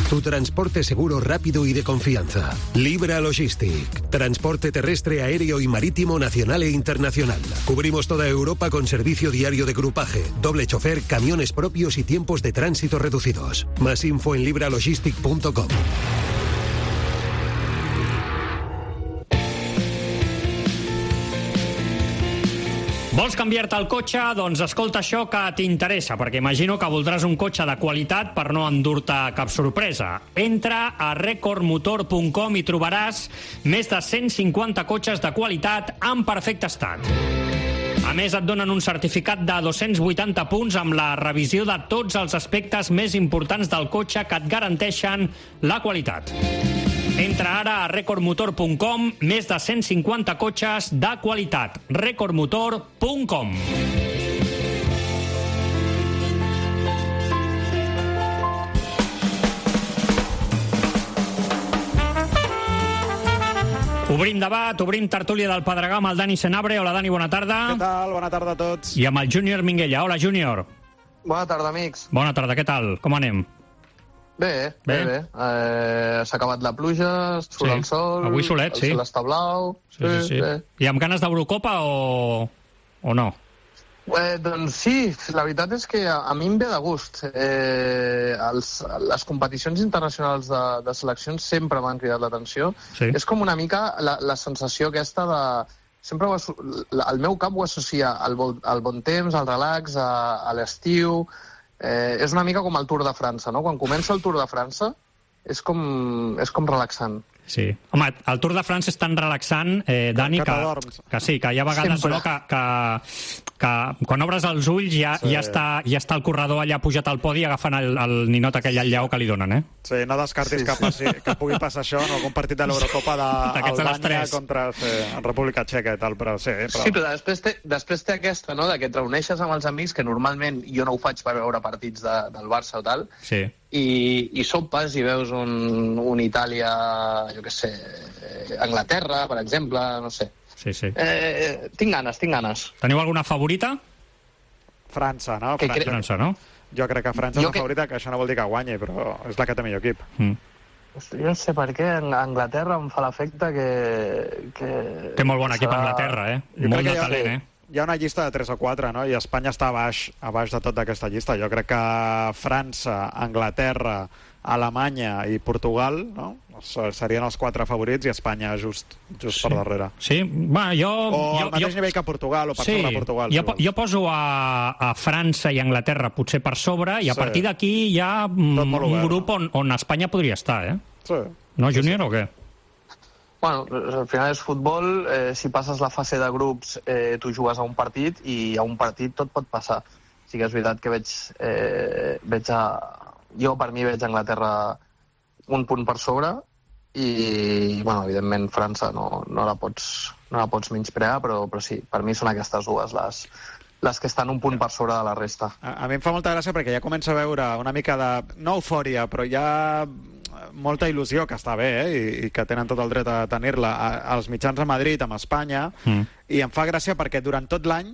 Tu transporte seguro, rápido y de confianza. Libra Logistic. Transporte terrestre, aéreo y marítimo nacional e internacional. Cubrimos toda Europa con servicio diario de grupaje, doble chofer, camiones propios y tiempos de tránsito reducidos. Más info en libralogistic punto com. Vols canviar-te el cotxe? Doncs escolta això que t'interessa, perquè imagino que voldràs un cotxe de qualitat per no endur-te cap sorpresa. Entra a record motor punt com i trobaràs més de cent cinquanta cotxes de qualitat en perfecte estat. A més, et donen un certificat de dos-cents vuitanta punts amb la revisió de tots els aspectes més importants del cotxe que et garanteixen la qualitat. Entra ara a record motor punt com, més de cent cinquanta cotxes de qualitat. record motor punt com. Obrim debat, obrim tertúlia del Pedregà amb el Dani Senabre. Hola, Dani, bona tarda. Què tal? Bona tarda a tots. I amb el Júnior Minguella. Hola, Júnior. Bona tarda, amics. Bona tarda, què tal? Com anem? Bé, bé, bé. bé. Eh, S'ha acabat la pluja, surt sí. el sol... Avui solet, el sí. El sol està blau... Sí, sí, sí. Bé. I amb ganes d'Eurocopa o... o no? Eh, doncs sí, la veritat és que a, a mi em ve de gust. Eh, els, les competicions internacionals de, de seleccions sempre m'han cridat l'atenció. Sí. És com una mica la, la sensació aquesta de... Sempre ho, el meu cap ho associa al, al bon temps, al relax, a, a l'estiu... Eh, és una mica com el Tour de França, no? Quan comença el Tour de França és com, és com relaxant. Sí. Home, el Tour de França és tan relaxant, eh, Dani, que, que, que sí, que hi ha vegades no, que, que, que quan obres els ulls ja, sí. ja, està, ja està el corredor allà pujat al podi agafant el, el ninot aquell al lleó que li donen, eh? Sí, no descartis sí, que, passi, que pugui passar això en algun partit de l'Eurocopa d'Albània contra sí, República Txeca i tal, però sí. Però... Sí, però després té, després té aquesta, no?, de que et reuneixes amb els amics, que normalment jo no ho faig per veure partits de, del Barça o tal, sí. i, i sopes i veus un, un Itàlia, jo què sé, Anglaterra, per exemple, no sé. Sí, sí. Eh, tinc ganes, tinc ganes. Teniu alguna favorita? França, no? Que França. cre... França, no? Jo crec que França és jo la que... favorita, que això no vol dir que guanyi, però és la que té millor equip. Mm. Jo no sé per què Anglaterra em fa l'efecte que, que... Té molt bon equip serà... Anglaterra, eh? Jo molt de ha, talent, eh? Hi ha una llista de tres o quatre, no? I Espanya està a baix, a baix de tota aquesta llista. Jo crec que França, Anglaterra, Alemanya i Portugal, no?, serien els quatre favorits i Espanya just, just sí. per darrere. Sí, bueno, jo... O jo, al mateix jo... nivell que Portugal, o per sí. sobre Portugal. Jo, si jo poso a, a França i Anglaterra potser per sobre, i a sí. partir d'aquí hi ha mm, un grup on, on Espanya podria estar, eh? Sí. No, Júnior, sí, sí. o què? Bueno, al final és futbol, eh, si passes la fase de grups eh, tu jugues a un partit i a un partit tot pot passar. Sí que és veritat que veig, eh, veig a... Jo per mi veig a Anglaterra un punt per sobre i, bueno, evidentment França no, no, la pots, no la pots menysprear, però, però sí, per mi són aquestes dues les, les que estan un punt per sobre de la resta. A, a mi em fa molta gràcia perquè ja comença a veure una mica de, no eufòria, però ja molta il·lusió, que està bé, eh? I, i que tenen tot el dret a tenir-la, als mitjans a Madrid, amb Espanya, mm. i em fa gràcia perquè durant tot l'any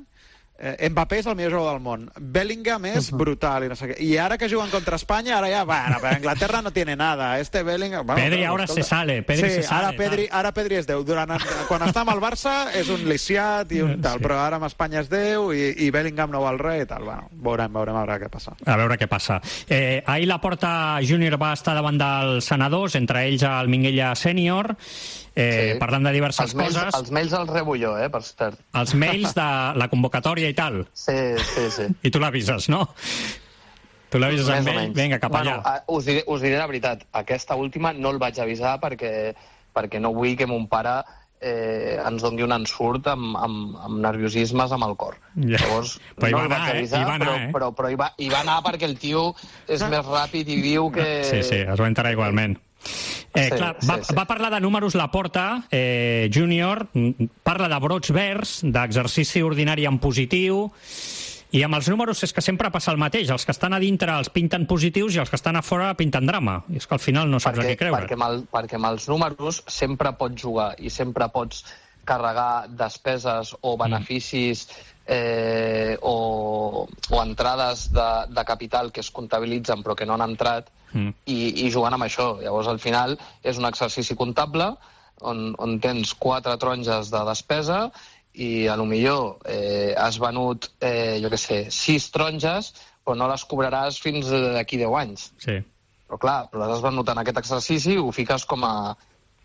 Eh, Mbappé és el millor jugador del món. Bellingham és brutal i no sé què. I ara que juguen contra Espanya, ara ja, bueno, però Anglaterra no tiene nada. Este Bellingham... Bueno, Pedri però, ahora escolta, se sale. Pedri sí, se sale. Ara Pedri, ara Pedri és Déu. Durant, quan està amb el Barça és un lisiat i un tal, sí. Però ara amb Espanya és Déu i, i Bellingham no val res i tal. Bueno, veurem, veurem a veure què passa. A veure què passa. Eh, ahir la Porta Júnior va estar davant dels senadors, entre ells el Minguella sènior, eh, sí. Parlant de diverses els mails, coses. Els mails els rebo jo, eh, per cert. Els mails de la convocatòria i tal. Sí, sí, sí. I tu l'avises, no? Tu l'avises amb ell, vinga, cap bueno, allà. Us diré, us diré la veritat, aquesta última no el vaig avisar perquè, perquè no vull que mon pare eh, ens doni un ensurt amb, amb, amb nerviosismes amb el cor. Ja. Llavors, però no hi va el vaig anar, avisar, eh? Hi va anar, però, eh? però, però hi, va, hi va anar perquè el tio és més ràpid i viu que... Sí, sí, es va enterar igualment. Eh, Sí, clar, sí, va, sí. va parlar de números la Porta, eh, Júnior, parla de brots verds, d'exercici ordinari en positiu, i amb els números és que sempre passa el mateix. Els que estan a dintre els pinten positius i els que estan a fora pinten drama. I és que al final no saps perquè, a què creure. Perquè amb, el, perquè amb els números sempre pots jugar i sempre pots carregar despeses o beneficis eh, o, o entrades de, de capital que es comptabilitzen però que no han entrat mm. i, i jugant amb això. Llavors, al final, és un exercici comptable on, on tens quatre taronges de despesa i a lo millor eh, has venut, eh, jo què sé, sis taronges, però no les cobraràs fins d'aquí deu anys. Sí. Però clar, però les has venut en aquest exercici i ho fiques com a,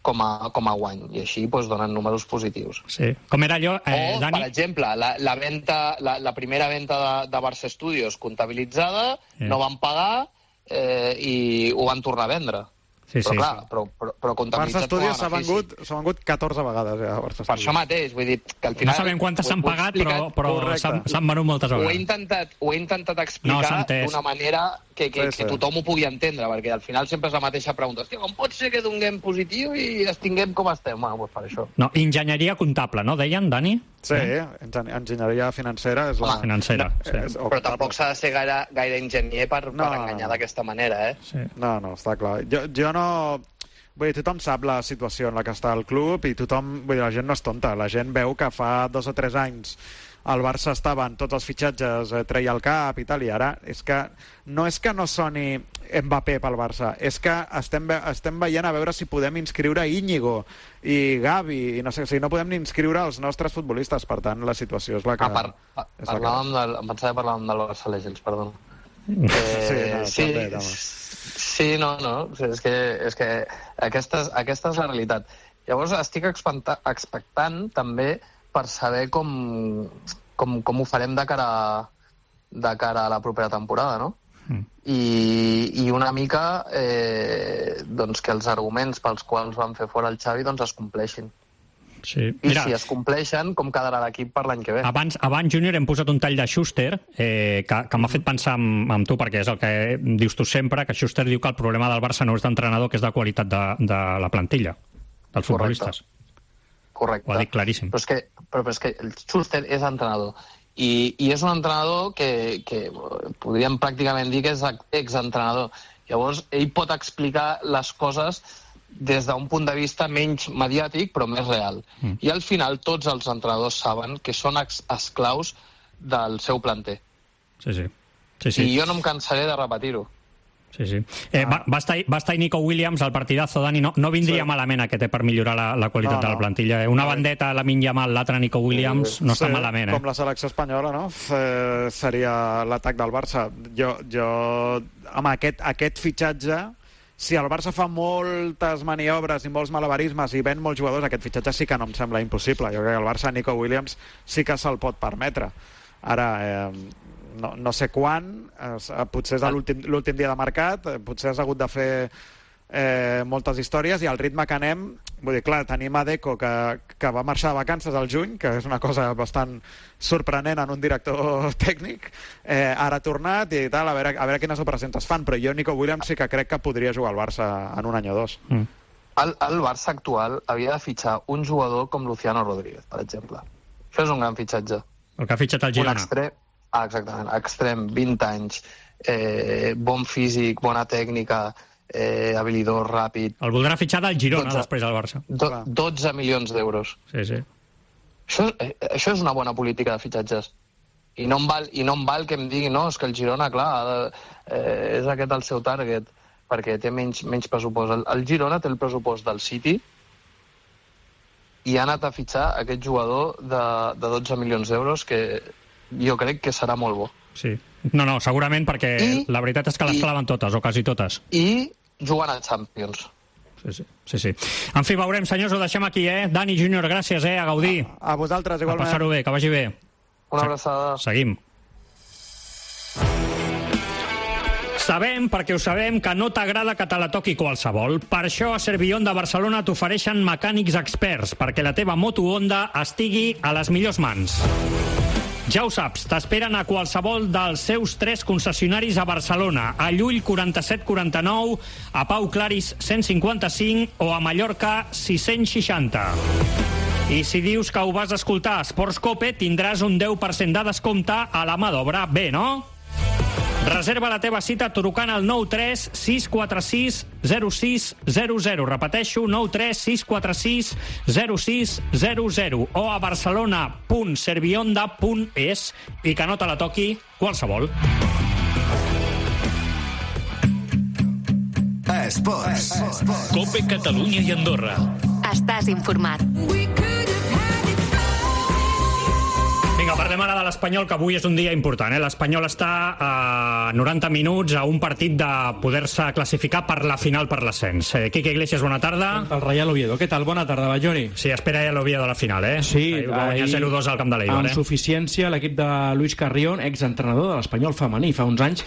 com a, com a guany, i així doncs, donen números positius. Sí. Com era allò, eh, o, Dani? per exemple, la, la, venta, la, la primera venta de, de Barça Studios comptabilitzada, Sí. no van pagar eh, i ho van tornar a vendre. Sí, però sí. clar, però, però, però Barça comptabilitzat com a Studios s'ha benefici. vengut, s'ha vengut catorze vegades ja, Barça Per Studios. això mateix, vull dir que al final... No sabem quantes s'han pagat, però, però s'han s'han venut moltes Ho he vegades. intentat, ho he intentat No, explicar s'ha entès. d'una manera que, que, Sí, sí. que tothom ho pugui entendre, perquè al final sempre és la mateixa pregunta. Hòstia, com pot ser que donem positiu i estinguem com estem? Bueno, doncs per això. No, enginyeria comptable, no? Deien, Dani? Sí, engen- enginyeria financera és la... Home, Financera, no, sí. és- Però tampoc s'ha de ser gaire, gaire enginyer per, No, per enganyar d'aquesta manera, eh? Sí. No, no, està clar. Jo, jo no... Vull dir, tothom sap la situació en la que està el club i tothom... Vull dir, la gent no és tonta. La gent veu que fa dos o tres anys el Barça estava en tots els fitxatges, eh, treia el cap i tal, i ara és que no és que no soni Mbappé pel Barça, és que estem, ve estem veient a veure si podem inscriure Íñigo i Gavi, i no sé, o sigui, no podem ni inscriure els nostres futbolistes, per tant, la situació és la que... Ah, par, pa, és la que... parlàvem del, em pensava que parlàvem del Barça Legends, perdó. Sí, Eh, no, sí, també, també. sí, no, no, o sigui, és que, és que aquesta, és, aquesta és la realitat. Llavors estic expecta, expectant també per saber com, com, com ho farem de cara, de cara a la propera temporada, no? Mm. I, i una mica eh, doncs que els arguments pels quals van fer fora el Xavi doncs es compleixin. Sí. I Mira, si es compleixen, com quedarà l'equip per l'any que ve? abans, abans, Júnior, hem posat un tall de Schuster eh, que, que m'ha fet pensar amb, amb tu, perquè és el que dius tu sempre, que Schuster diu que el problema del Barça no és d'entrenador, que és de qualitat de, de la plantilla, dels futbolistes. Correcte. Ho ha dit claríssim. Però és que, però, però és que el Schuster és entrenador. I, i és un entrenador que, que podríem pràcticament dir que és exentrenador. Llavors, ell pot explicar les coses des d'un punt de vista menys mediàtic, però més real. Mm. I al final tots els entrenadors saben que són ex esclaus del seu planter. Sí, sí. sí, sí. I jo no em cansaré de repetir-ho. Sí, sí. Eh, va, va, estar, va estar Nico Williams al partidazo, Dani. No, no vindria sí. malament aquest eh, per millorar la, la qualitat no, no. de la plantilla. Eh? Una bandeta, la Lamine Yamal, l'altra Nico Williams, no sí, està malament. Eh? Com la selecció espanyola, no? Eh, seria l'atac del Barça. Jo, jo amb aquest, aquest fitxatge, si el Barça fa moltes maniobres i molts malabarismes i ven molts jugadors, aquest fitxatge sí que no em sembla impossible. Jo crec que el Barça, Nico Williams, sí que se'l pot permetre. Ara, eh, no, no sé quan, eh, potser és l'últim dia de mercat, eh, potser has hagut de fer eh, moltes històries, i al ritme que anem, vull dir, clar, tenim a Deco que, que va marxar de vacances al juny, que és una cosa bastant sorprenent en un director tècnic, eh, ara ha tornat i tal, a veure, a veure quines operacions es fan, però jo Nico Williams sí que crec que podria jugar al Barça en un any o dos. Mm. El, el Barça actual havia de fitxar un jugador com Luciano Rodríguez, per exemple. Això és un gran fitxatge. El que ha fitxat el Girona. Un extrem, ah, exactament, extrem, vint anys, eh, bon físic, bona tècnica, eh, habilidor, ràpid... El voldrà fitxar del Girona dotze, després del Barça. Do, dotze milions d'euros. Sí, sí. Això, eh, això és una bona política de fitxatges. I no em val, i no em val que em digui, no, és que el Girona, clar, eh, és aquest el seu target, perquè té menys, menys pressupost. El, el Girona té el pressupost del City i ha anat a fitxar aquest jugador de, de dotze milions d'euros, que jo crec que serà molt bo. Sí. No, no, segurament, perquè I, la veritat és que les claven totes, o quasi totes. I jugant a Champions. Sí, sí, sí, sí. En fi, veurem, senyors, ho deixem aquí, eh? Dani Júnior, gràcies, eh? A gaudir. A, a vosaltres, igualment. A passar-ho bé, que vagi bé. Una abraçada. Seguim. Sabem, perquè ho sabem, que no t'agrada que te la toqui qualsevol. Per això a Servillon de Barcelona t'ofereixen mecànics experts, perquè la teva moto Honda estigui a les millors mans. Ja ho saps, t'esperen a qualsevol dels seus tres concessionaris a Barcelona, a Llull quaranta-set quaranta-nou, a Pau Claris cent cinquanta-cinc o a Mallorca sis-cents seixanta. I si dius que ho vas escoltar a Esports Cope, tindràs un deu per cent de descompte a la mà d'obra. Bé, no? Reserva la teva cita trucant al nou tres sis quatre sis zero sis zero zero. Repeteixo, nou tres sis quatre sis zero sis zero zero o a barcelona punt servionda punt es i que no te la toqui qualsevol. Esports. Cope Catalunya i Andorra. Estàs informat. Vinga, parlem ara de l'Espanyol, que avui és un dia important. Eh? L'Espanyol està a noranta minuts a un partit de poder-se classificar per la final per l'ascens. Eh, Quique Iglesias, bona tarda. El Real Oviedo. Què tal? Bona tarda, Ballori. Sí, espera ja l'Oviedo a la final, eh? Sí. Ahir va guanyar zero dos al camp de l'Eibar, amb eh? suficiència l'equip de Luis Carrión, exentrenador de l'Espanyol femení, fa uns anys,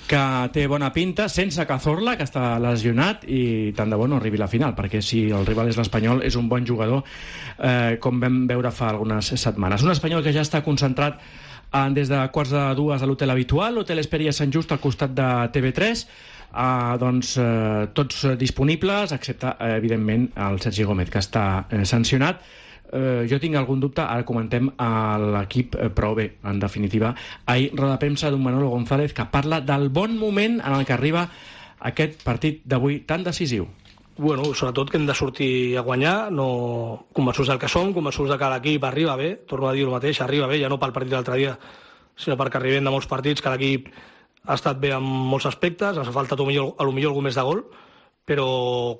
que té bona pinta, sense Cazorla, que està lesionat, i tant de bo no arribi a la final, perquè si el rival és l'Espanyol, és un bon jugador, eh, com vam veure fa algunes setmanes. Un Espanyol que ja està concentrat en, des de quarts de dues a l'hotel habitual, l'hotel Esperia Sant Just al costat de T V tres, eh, doncs eh, tots disponibles, excepte eh, evidentment el Sergi Gómez, que està eh, sancionat. Eh, jo tinc algun dubte, ara comentem a l'equip, eh, però bé, en definitiva, ahir roda de premsa d'un Manolo González que parla del bon moment en el que arriba aquest partit d'avui tan decisiu. Bueno, sobretot que hem de sortir a guanyar, no convençuts del que som, convençuts de que l'equip arriba bé, torno a dir el mateix, arriba bé, ja no pel partit de l'altre dia, sinó perquè arribem de molts partits, que l'equip ha estat bé en molts aspectes, ens ha faltat a lo millor, a lo millor algú més de gol, però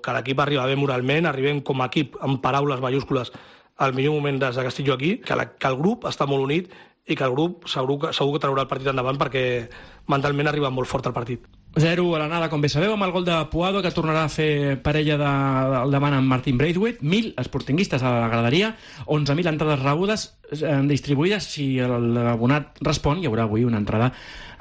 que l'equip arriba bé moralment, arribem com a equip, amb paraules mayúscules, al millor moment des que estic jo aquí, que, la, que el grup està molt unit i que el grup segur que, segur que traurà el partit endavant perquè mentalment arriba molt fort al partit. zero a l'anada, com bé sabeu, amb el gol de Puado, que tornarà a fer parella de, del davant amb Martin Braithwaite. Mil esportinguistes a la graderia, onze mil entrades rebudes eh, distribuïdes. Si l'abonat respon, hi haurà avui una entrada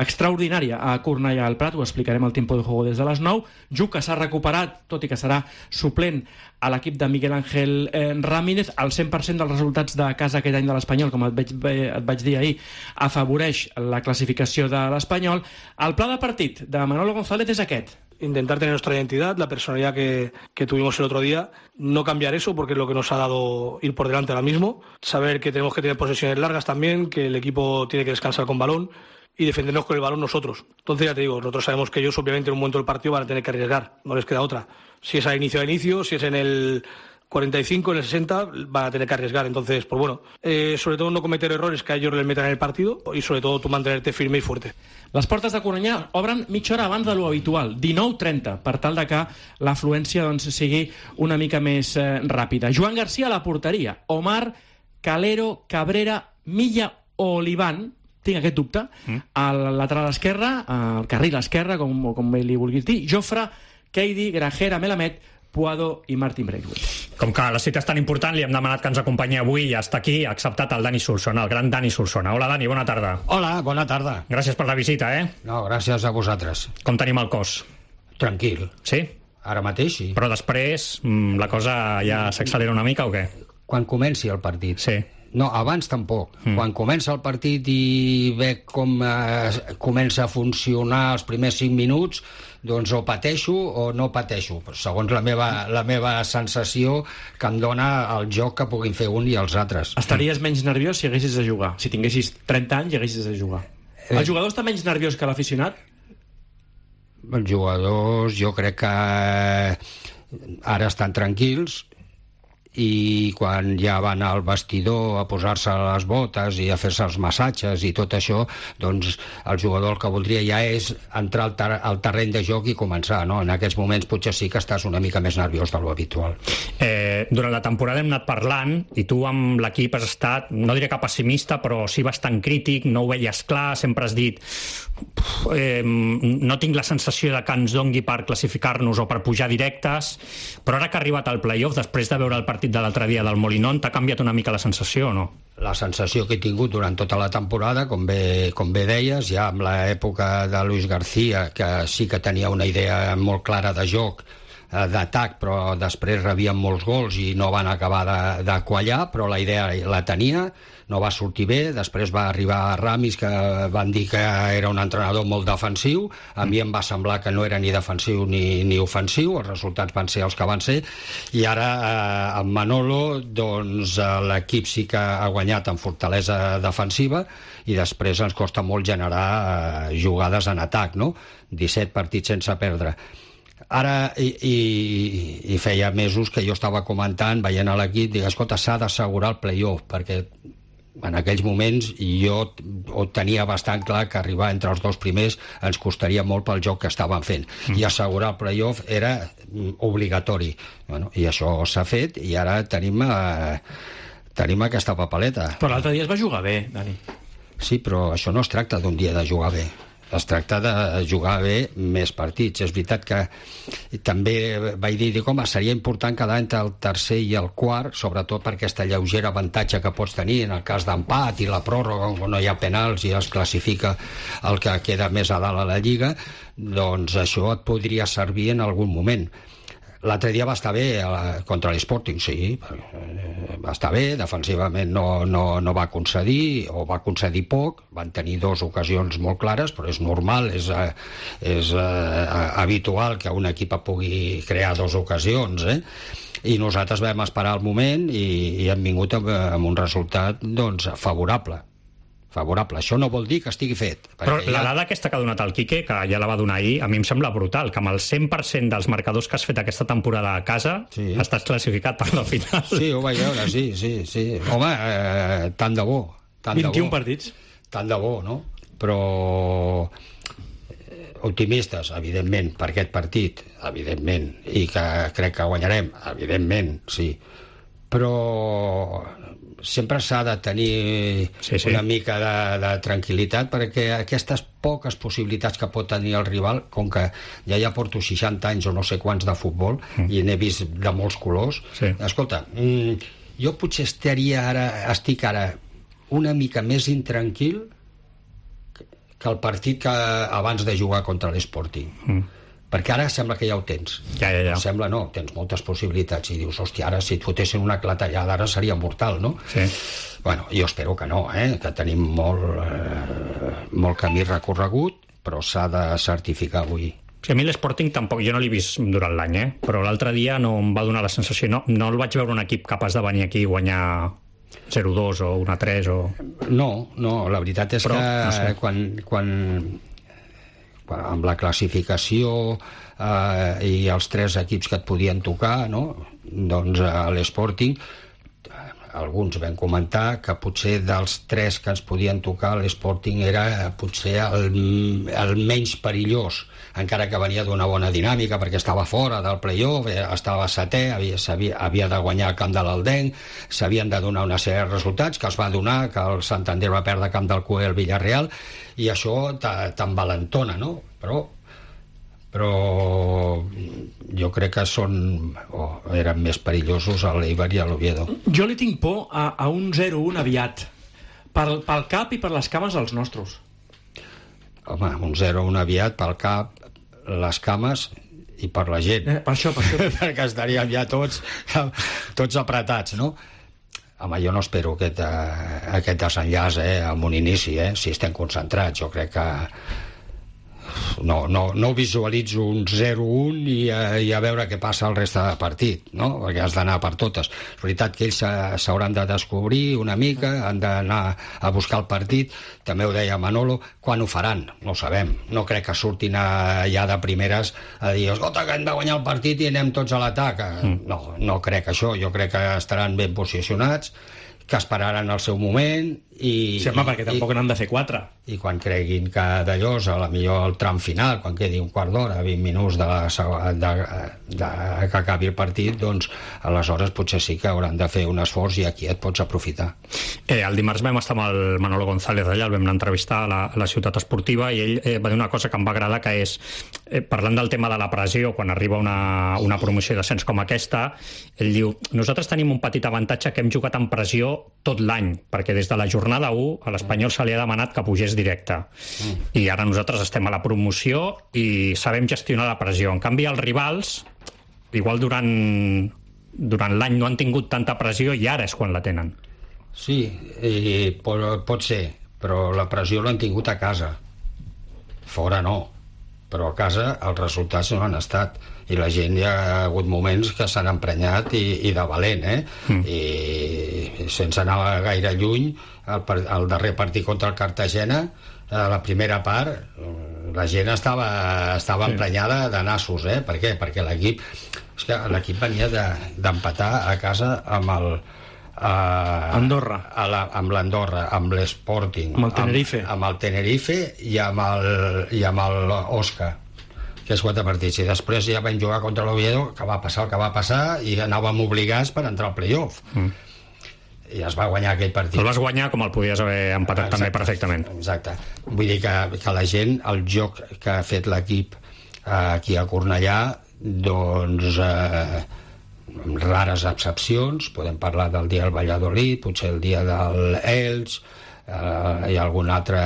extraordinària a Cornellà al Prat. Ho explicarem al Tiempo de Juego des de les nou. Juc que s'ha recuperat, tot i que serà suplent a l'equip de Miguel Ángel eh, Ramírez. El cent per cent dels resultats de casa aquest any de l'Espanyol, com et vaig, et vaig dir ahir, afavoreix la classificació de l'Espanyol. El pla de partit de Manolo González es aquest. Intentar tener nuestra identidad, la personalidad que, que tuvimos el otro día, no cambiar eso porque es lo que nos ha dado ir por delante ahora mismo, saber que tenemos que tener posesiones largas también, que el equipo tiene que descansar con balón y defendernos con el balón nosotros. Entonces ya te digo, nosotros sabemos que ellos obviamente en un momento del partido van a tener que arriesgar, no les queda otra. Si es a inicio a inicio, si es en el cuarenta y cinco, en el sesenta, van a tener que arriesgar. Entonces, pues bueno, eh, sobre todo no cometer errores que a ellos les metan en el partido y sobre todo tú mantenerte firme y fuerte. Les portes de Cornellà obren mitja hora abans de lo habitual, dinou trenta, per tal de que l'afluència doncs, sigui una mica més eh, ràpida. Joan García a la porteria, Omar, Calero, Cabrera, Milla o Olivan, tinc aquest dubte, mm. al lateral esquerre, al carril esquerre, com, com li vulguis dir, Jofre, Keidi, Grajera, Melamed, Puado i Martin Braithwaite. Com que la cita és tan important, li hem demanat que ens acompanyi avui i està aquí, ha acceptat el Dani Solsona, el gran Dani Solsona. Hola, Dani, bona tarda. Hola, bona tarda. Gràcies per la visita, eh? No, gràcies a vosaltres. Com tenim el cos? Tranquil. Sí? Ara mateix, sí. Però després la cosa ja s'accelera una mica o què? Quan comenci el partit. Sí. No, abans tampoc. Mm. Quan comença el partit i veig com eh, comença a funcionar els primers cinc minuts, doncs o pateixo o no pateixo, segons la meva, la meva sensació que em dona el joc que puguin fer un i els altres. Estaries menys nerviós si haguessis de jugar? Si tinguessis trenta anys i haguessis de jugar. Eh. El jugador està menys nerviós que l'aficionat? Els jugadors jo crec que ara estan tranquils i quan ja va anar al vestidor a posar-se les botes i a fer-se els massatges i tot això, doncs el jugador el que voldria ja és entrar al, ter al terreny de joc i començar, no? En aquests moments potser sí que estàs una mica més nerviós de lo habitual. Eh, durant la temporada hem anat parlant i tu amb l'equip has estat, no diré que pessimista, però sí bastant crític, no ho veies clar, sempre has dit eh, no tinc la sensació de que ens dongui per classificar-nos o per pujar directes, però ara que ha arribat al playoff, després de veure el partit de l'altre dia del Molinón, t'ha canviat una mica la sensació o no? La sensació que he tingut durant tota la temporada, com bé, com bé deies, ja amb l'època de Luis García, que sí que tenia una idea molt clara de joc, d'atac, però després rebien molts gols i no van acabar de, de quallar, però la idea la tenia, no va sortir bé. Després va arribar Ramis, que van dir que era un entrenador molt defensiu. A mi em va semblar que no era ni defensiu ni, ni ofensiu, els resultats van ser els que van ser, i ara eh, amb Manolo doncs eh, l'equip sí que ha guanyat en fortalesa defensiva i després ens costa molt generar eh, jugades en atac, no? disset partits sense perdre. Ara, i, i, i feia mesos que jo estava comentant, veient a l'equip, dic, escolta, s'ha d'assegurar el playoff, perquè en aquells moments jo ho tenia bastant clar que arribar entre els dos primers ens costaria molt pel joc que estaven fent, mm. i assegurar el playoff era obligatori. Bueno, i això s'ha fet, i ara tenim, eh, tenim aquesta papeleta. Però l'altre dia es va jugar bé, Dani. Sí, però això no es tracta d'un dia de jugar bé. Es tracta de jugar bé més partits. És veritat que també vaig dir, dic, home, seria important quedar entre el tercer i el quart, sobretot per aquesta lleugera avantatge que pots tenir en el cas d'empat i la pròrroga, on no hi ha penals i es classifica el que queda més a dalt a la Lliga, doncs això et podria servir en algun moment. L'altre dia va estar bé contra l'Sporting, sí, va estar bé, defensivament no, no, no va concedir, o va concedir poc, van tenir dues ocasions molt clares, però és normal, és, és uh, habitual que un equip pugui crear dues ocasions, eh? I nosaltres vam esperar el moment i, i hem vingut amb, amb un resultat doncs, favorable. favorable. Això no vol dir que estigui fet. Però la dada aquesta que ha donat el Quique, que ja la va donar ahir, a mi em sembla brutal, que amb el cent per cent dels marcadors que has fet aquesta temporada a casa sí. estàs classificat per la final. Sí, ho vaig veure, sí, sí, sí. Home, eh, tant de bo. Tant vint-i-un de bo. partits. Tant de bo, no? Però optimistes, evidentment, per aquest partit, evidentment, i que crec que guanyarem, evidentment, sí. Però sempre s'ha de tenir sí, sí. una mica de, de tranquil·litat, perquè aquestes poques possibilitats que pot tenir el rival, com que ja ja porto seixanta anys o no sé quants de futbol mm. i n'he vist de molts colors, sí. escolta, mmm, jo potser estaria ara, estic ara una mica més intranquil que el partit que abans de jugar contra l'Sporting. Mm. Perquè ara sembla que ja ho tens. Ja, ja, ja. Sembla no, tens moltes possibilitats i dius, hòstia, ara si et fotessin una clatellada ara seria mortal, no? Sí. Bueno, jo espero que no, eh? Que tenim molt, eh, molt camí recorregut, però s'ha de certificar avui. Sí, a mi l'Sporting tampoc, jo no l'he vist durant l'any, eh? Però l'altre dia no em va donar la sensació, no, no el vaig veure un equip capaç de venir aquí i guanyar zero dos o un a tres o... No, no, la veritat és però, que no sé. quan... quan amb la classificació eh, i els tres equips que et podien tocar, no? Doncs a l'Sporting alguns vam comentar que potser dels tres que ens podien tocar l'Sporting era potser el, el menys perillós, encara que venia d'una bona dinàmica perquè estava fora del play-off, estava setè, havia, havia, havia de guanyar el camp de l'Aldenc, s'havien de donar una sèrie de resultats que els va donar, que el Santander va perdre camp del Cué al Villarreal, i això t'envalentona, no? Però però jo crec que són oh, eren més perillosos a l'Eibar i a l'Oviedo. Jo li tinc por a, a un zero un aviat pel, pel cap i per les cames dels nostres. Home, un zero un aviat pel cap, les cames i per la gent. Eh, per això, per això. Perquè estaríem ja tots tots apretats, no? Home, jo no espero aquest, aquest desenllaç eh, amb un inici, eh, si estem concentrats. Jo crec que no, no, no visualitzo un zero un i a, i a veure què passa al reste del partit, no? Perquè has d'anar per totes. És veritat que ells s'hauran de descobrir una mica, han d'anar a buscar el partit, també ho deia Manolo, quan ho faran? No ho sabem. No crec que surtin a, ja de primeres a dir, escolta, que hem de guanyar el partit i anem tots a l'atac. Mm. No, no crec això. Jo crec que estaran ben posicionats, que esperaran el seu moment i... Sí, home, perquè tampoc n'han de fer quatre. I quan creguin que d'allò, a la millor el tram final, quan quedi un quart d'hora, vint minuts de, la, de, de, de que acabi el partit, doncs aleshores potser sí que hauran de fer un esforç i aquí et pots aprofitar. Eh, el dimarts vam estar amb el Manolo González allà, el vam anar a entrevistar a la, a la ciutat esportiva i ell eh, va dir una cosa que em va agradar, que és, eh, parlant del tema de la pressió, quan arriba una, una promoció d'ascens com aquesta, ell diu, nosaltres tenim un petit avantatge que hem jugat en pressió tot l'any, perquè des de la jornada u a l'Espanyol se li ha demanat que pugés directe. Mm. I ara nosaltres estem a la promoció i sabem gestionar la pressió. En canvi, els rivals, igual durant, durant l'any no han tingut tanta pressió i ara és quan la tenen. Sí, i pot, pot ser, però la pressió l'han tingut a casa. Fora no. Però a casa els resultats no han estat. I la gent hi ha hagut moments que s'han emprenyat i, i de valent, eh? Mm. I sense anar gaire lluny, el, el darrer partit contra el Cartagena, a la primera part, la gent estava, estava sí. emprenyada de nassos, eh? Per què? Perquè l'equip és que l'equip venia d'empatar de, a casa amb el Uh, Andorra a la, amb l'Andorra, amb l'Sporting, amb el Tenerife amb, amb el Tenerife i amb el, i amb el Osca, que és quatre partits, i després ja vam jugar contra l'Oviedo, que va passar el que va passar i anàvem obligats per entrar al playoff. mm. I es va guanyar aquell partit. El vas guanyar com el podies haver empatat. Exacte, també perfectament. Exacte. Vull dir que, que la gent, el joc que ha fet l'equip eh, aquí a Cornellà, doncs eh, amb rares excepcions, podem parlar del dia del Valladolid, potser el dia del Elx, eh, i algun altre,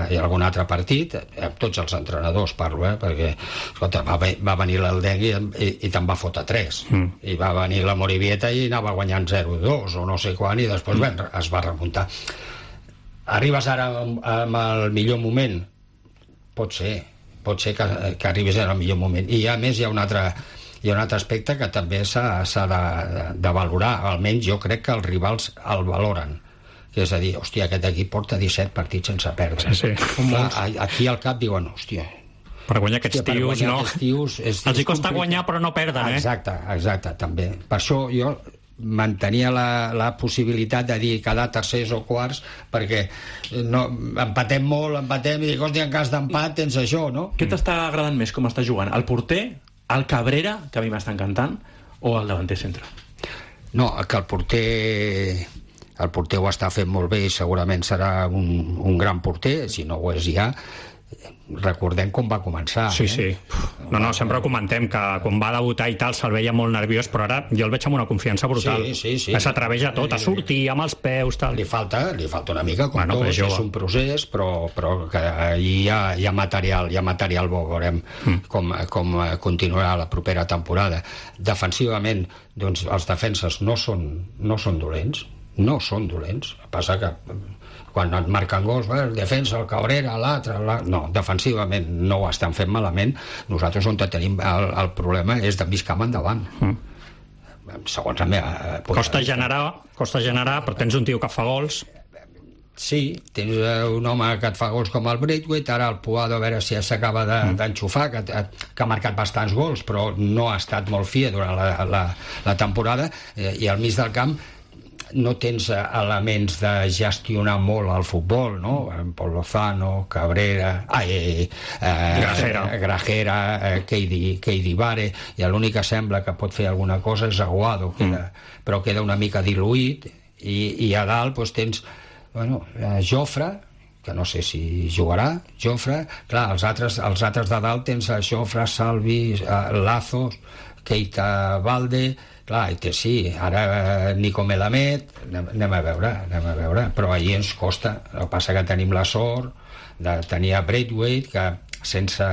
i algun altre partit, amb tots els entrenadors parlo, eh, perquè escolta, va, va venir l'Eldenc i, i, i te'n va fotre tres, mm. i va venir la Morivieta i anava guanyant zero dos o no sé quan, i després mm. ben, es va remuntar. Arribes ara amb, amb el millor moment? Pot ser, pot ser que, que arribis en el millor moment, i a més hi ha un altre hi ha un altre aspecte que també s'ha de, de valorar, almenys jo crec que els rivals el valoren, que és a dir, hòstia, aquest equip porta disset partits sense perdre. Sí, sí. Clar, aquí al cap diuen, hòstia, per guanyar aquests hòstia, tios, guanyar no? Aquests tios és, els hi costa guanyar però no perden, eh? Exacte, exacte, també. Per això jo mantenia la, la possibilitat de dir quedar tercers o quarts, perquè no, empatem molt, empatem i dic, hòstia, en cas d'empat tens això, no? Què t'està agradant més com està jugant? El porter, el Cabrera, que a mi m'està encantant, o el davanter centre? No, que el porter el porter ho està fent molt bé i segurament serà un, un gran porter, si no ho és ja. Recordem com va començar. Sí, eh? sí. No, no, sempre comentem que quan va debutar i tal se'l veia molt nerviós, però ara jo el veig amb una confiança brutal. Sí, sí, sí. Que s'atreveix a tot, a sortir amb els peus, tal. Li falta, li falta una mica, com bueno, tots, és un procés, però, però que hi ha, hi ha material, hi ha material bo, veurem mm. com, com continuarà la propera temporada. Defensivament, doncs, els defenses no són, no són dolents, no són dolents. Passa que quan et marquen gols, el defensa, el Cabrera, l'altre, la... no, defensivament no ho estan fent malament. Nosaltres on tenim el, el problema és de mig camp endavant. Mm. Segons la meva... Costa generar, costa generar, però tens un tio que fa gols. Sí, tens un home que et fa gols com el Braithwaite, ara el Puado, a veure si s'acaba d'enxufar, de, que, que ha marcat bastants gols, però no ha estat molt fi durant la, la, la temporada, eh, i al mig del camp no tens elements de gestionar molt el futbol, no? Pol Lozano, Cabrera, ai, eh, Grajera, Grajera eh, Keidi, Keidi Bare, i l'únic que sembla que pot fer alguna cosa és Aguado, queda, mm. però queda una mica diluït, i, i a dalt doncs, tens bueno, eh, Jofre, que no sé si jugarà, Jofre, clar, els altres, els altres de dalt tens a Jofre, Salvi, eh, Lazos, Keita Valde, clar, i té, sí, ara Nico Melamed, anem, anem a veure, anem a veure, però ahir ens costa. El que passa que tenim la sort de tenir a Braithwaite, que sense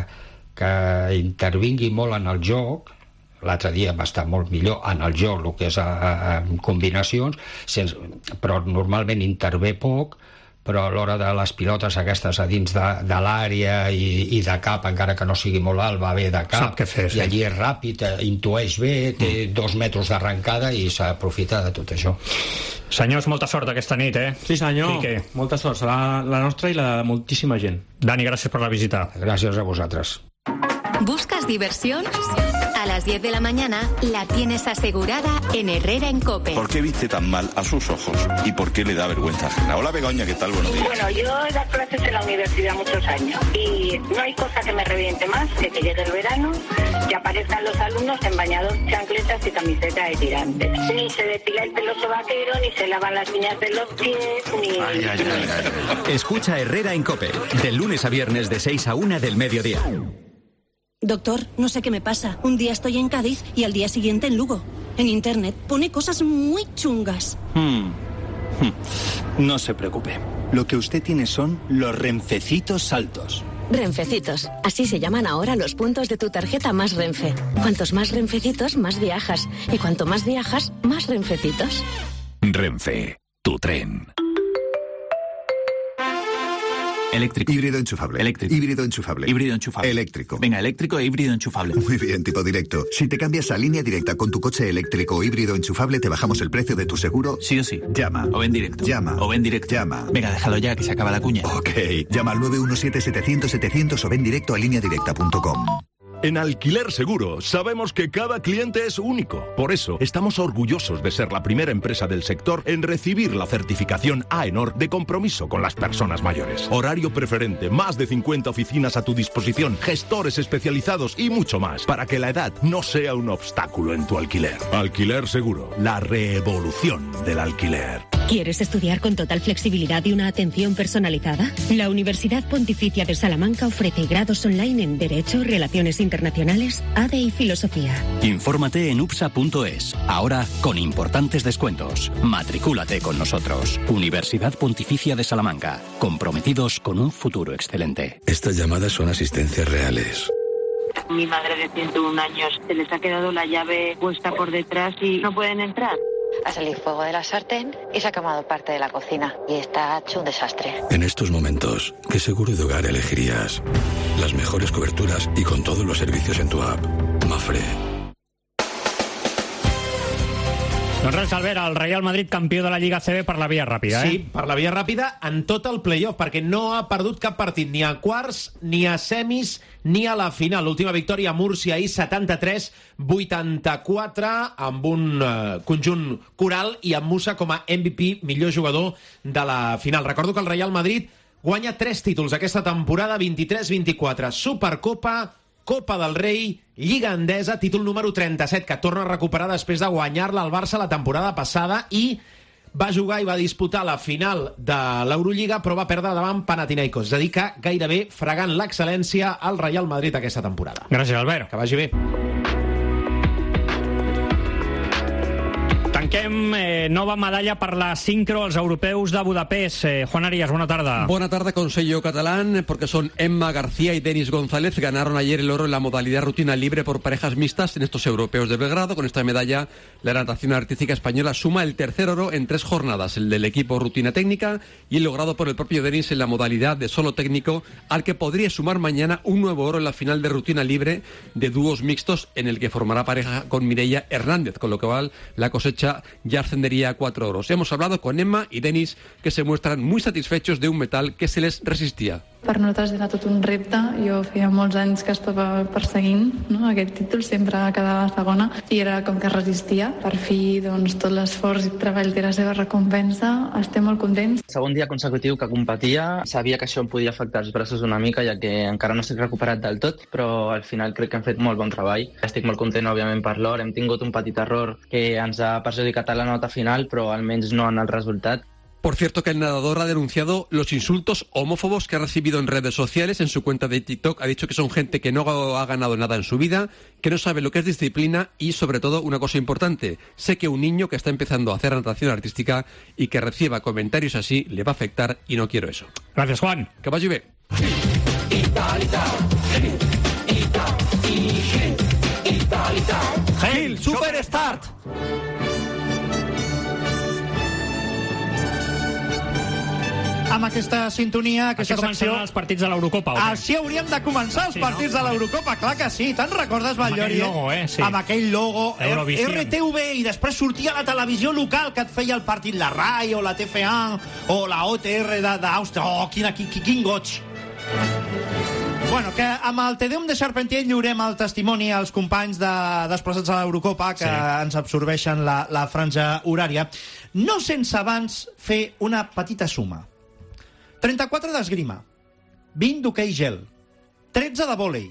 que intervingui molt en el joc, l'altre dia va estar molt millor en el joc, el que és a, a, a combinacions, sense, però normalment intervé poc, però a l'hora de les pilotes aquestes a dins de, de l'àrea i, i de cap, encara que no sigui molt alt, va bé de cap, fer, sí. I allí és ràpid, intueix bé, té mm. dos metres d'arrencada i s'aprofita de tot això. Senyors, molta sort aquesta nit, eh? Sí, senyor. Quique. Molta sort. Serà la nostra i la de moltíssima gent. Dani, gràcies per la visita. Gràcies a vosaltres. ¿Buscas diversión? A las diez de la mañana la tienes asegurada en Herrera en COPE. ¿Por qué viste tan mal a sus ojos y por qué le da vergüenza ajena? Hola, Begoña, ¿qué tal? Buenos días. Bueno, yo he dado clases en la universidad muchos años y no hay cosa que me reviente más que que llegue el verano y aparezcan los alumnos en bañador, chancletas y camiseta de tirantes. Ni se depila el pelo sobaquero, ni se lavan las uñas de los pies, ni... Ay, ay, ay, ay. Escucha Herrera en COPE, de lunes a viernes de seis a una del mediodía. Doctor, no sé qué me pasa. Un día estoy en Cádiz y al día siguiente en Lugo. En internet pone cosas muy chungas. Hmm. Hmm. No se preocupe. Lo que usted tiene son los Renfecitos Saltos. Renfecitos. Así se llaman ahora los puntos de tu tarjeta Más Renfe. Cuantos más Renfecitos, más viajas. Y cuanto más viajas, más Renfecitos. Renfe, tu tren. Eléctrico. Híbrido enchufable. Eléctrico. Híbrido enchufable. Híbrido enchufable. Eléctrico. Venga, eléctrico e híbrido enchufable. Muy bien, tipo directo. Si te cambias a línea directa con tu coche eléctrico o híbrido enchufable, te bajamos el precio de tu seguro. Sí o sí. Llama. O en directo. Llama. O en directo. Llama. Venga, déjalo ya, que se acaba la cuña. Ok. Llama al nueve uno siete setecientos setecientos o ven directo a línea directa punto com. En Alquiler Seguro sabemos que cada cliente es único. Por eso estamos orgullosos de ser la primera empresa del sector en recibir la certificación AENOR de compromiso con las personas mayores. Horario preferente, más de cincuenta oficinas a tu disposición, gestores especializados y mucho más, para que la edad no sea un obstáculo en tu alquiler. Alquiler Seguro, la revolución del alquiler. ¿Quieres estudiar con total flexibilidad y una atención personalizada? La Universidad Pontificia de Salamanca ofrece grados online en Derecho, Relaciones Internacionales, A D e y Filosofía. Infórmate en upsa punto es. Ahora con importantes descuentos. Matricúlate con nosotros. Universidad Pontificia de Salamanca. Comprometidos con un futuro excelente. Estas llamadas son asistencias reales. Mi madre de ciento uno años se les ha quedado la llave puesta por detrás y no pueden entrar. Ha salido fuego de la sartén y se ha quemado parte de la cocina. Y está hecho un desastre. En estos momentos, ¿qué seguro de hogar elegirías? Las mejores coberturas y con todos los servicios en tu app. Mafre. Doncs res, Albert, el Real Madrid campió de la Lliga A C B per la via ràpida, eh? Sí, per la via ràpida en tot el play-off, perquè no ha perdut cap partit, ni a quarts, ni a semis, ni a la final. L'última victòria a Múrcia ahir, setanta-tres vuitanta-quatre, amb un uh, conjunt coral i amb Musa com a M V P, millor jugador de la final. Recordo que el Real Madrid guanya tres títols aquesta temporada, vint-i-tres vint-i-quatre, Supercopa, Copa del Rei, Lliga Endesa, títol número trenta-set, que torna a recuperar després de guanyar-la al Barça la temporada passada, i va jugar i va disputar la final de l'Eurolliga, però va perdre davant Panathinaikos. És a dir, que gairebé fregant l'excel·lència al Real Madrid aquesta temporada. Gràcies, Albert. Que vagi bé. Tanquem eh, nova medalla per la sincro als europeus de Budapest. Eh, Juan Arias, buena tarde. Buena tarde con sello catalán, porque son Emma García y Denis González. Ganaron ayer el oro en la modalidad rutina libre por parejas mixtas en estos europeos de Belgrado. Con esta medalla, la natación artística española suma el tercer oro en tres jornadas, el del equipo rutina técnica y el logrado por el propio Denis en la modalidad de solo técnico, al que podría sumar mañana un nuevo oro en la final de rutina libre de dúos mixtos, en el que formará pareja con Mireia Hernández, con lo cual la cosecha ya ascendería a cuatro oros. Hemos hablado con Emma y Denis, que se muestran muy satisfechos de un metal que se les resistía. Per nosaltres era tot un repte. Jo feia molts anys que estava perseguint, no, aquest títol, sempre quedava segona i era com que resistia. Per fi, doncs, tot l'esforç i treball té la seva recompensa. Estem molt contents. Segon dia consecutiu que competia, sabia que això em podia afectar els braços una mica, ja que encara no estic recuperat del tot, però al final crec que hem fet molt bon treball. Estic molt content, òbviament, per l'or. Hem tingut un petit error que ens ha perjudicat a la nota final, però almenys no en el resultat. Por cierto, que el nadador ha denunciado los insultos homófobos que ha recibido en redes sociales. En su cuenta de TikTok ha dicho que son gente que no ha ganado nada en su vida, que no sabe lo que es disciplina y, sobre todo, una cosa importante: sé que un niño que está empezando a hacer natación artística y que reciba comentarios así le va a afectar y no quiero eso. Gracias, Juan. Que vaya bien. Gil, Superstart. amb aquesta sintonia, aquesta Així secció... començaran els partits de l'Eurocopa, o què? Així hauríem de començar els Sí, partits no? de l'Eurocopa, clar que sí. Te'n recordes, Batllori? aquell logo, eh? Sí. Amb aquell logo. Eurovision. R T V, i després sortia la televisió local que et feia el partit, la RAI o la T F A o la O T R d'Àustria. Oh, quin, quin, quin goig! Bueno, que amb el Tedeum de Charpentier lliurem el testimoni als companys de, desplaçats a l'Eurocopa que sí. ens absorbeixen la, la franja horària. No sense abans fer una petita suma. trenta-quatre d'esgrima, vint d'hoquei gel, tretze de vòlei,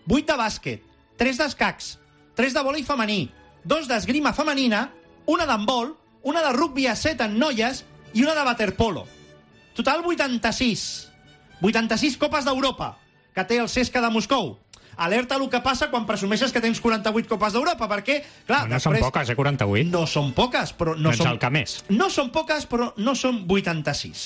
vuit de bàsquet, tres d'escacs, tres de vòlei femení, dos d'esgrima femenina, una d'handbol, una de rugby a set en noies i una de waterpolo. Total vuitanta-sis. vuitanta-sis copes d'Europa que té el Cesca de Moscou. Alerta el que passa quan presumeixes que tens quaranta-vuit copes d'Europa, perquè, clar... No, no després... són poques, eh, quaranta-vuit? No són poques, però... No, no ets són... el que més. No són poques, però no són vuitanta-sis.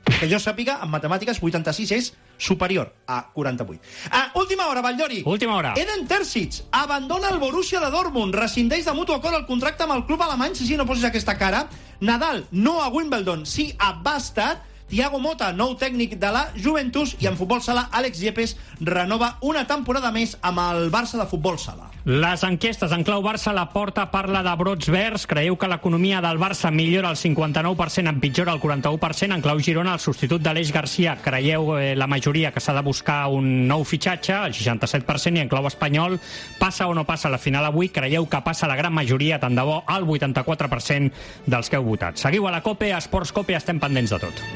Que jo sàpiga, en matemàtiques, vuitanta-sis és superior a quaranta-vuit. Ah, última hora, Batllori. Última hora. Eden Terzic abandona el Borussia de Dortmund, rescindeix de mutu acord el contracte amb el club alemany, si sí, no posis aquesta cara. Nadal, no a Wimbledon, sí a Bastad. Thiago Motta, nou tècnic de la Juventus, i en futbol sala, Àlex Yepes renova una temporada més amb el Barça de futbol sala. Les enquestes en clau Barça, la Porta parla de brots verds. Creieu que l'economia del Barça millora el cinquanta-nou per cent, empitjora el quaranta-u per cent. En clau Girona, el substitut d'Aleix Garcia, creieu eh, la majoria que s'ha de buscar un nou fitxatge, el seixanta-set per cent, i en clau espanyol, passa o no passa la final avui. Creieu que passa la gran majoria, tant de bo, el vuitanta-quatre per cent dels que heu votat. Seguiu a la COPE, a Esports COPE, estem pendents de tot.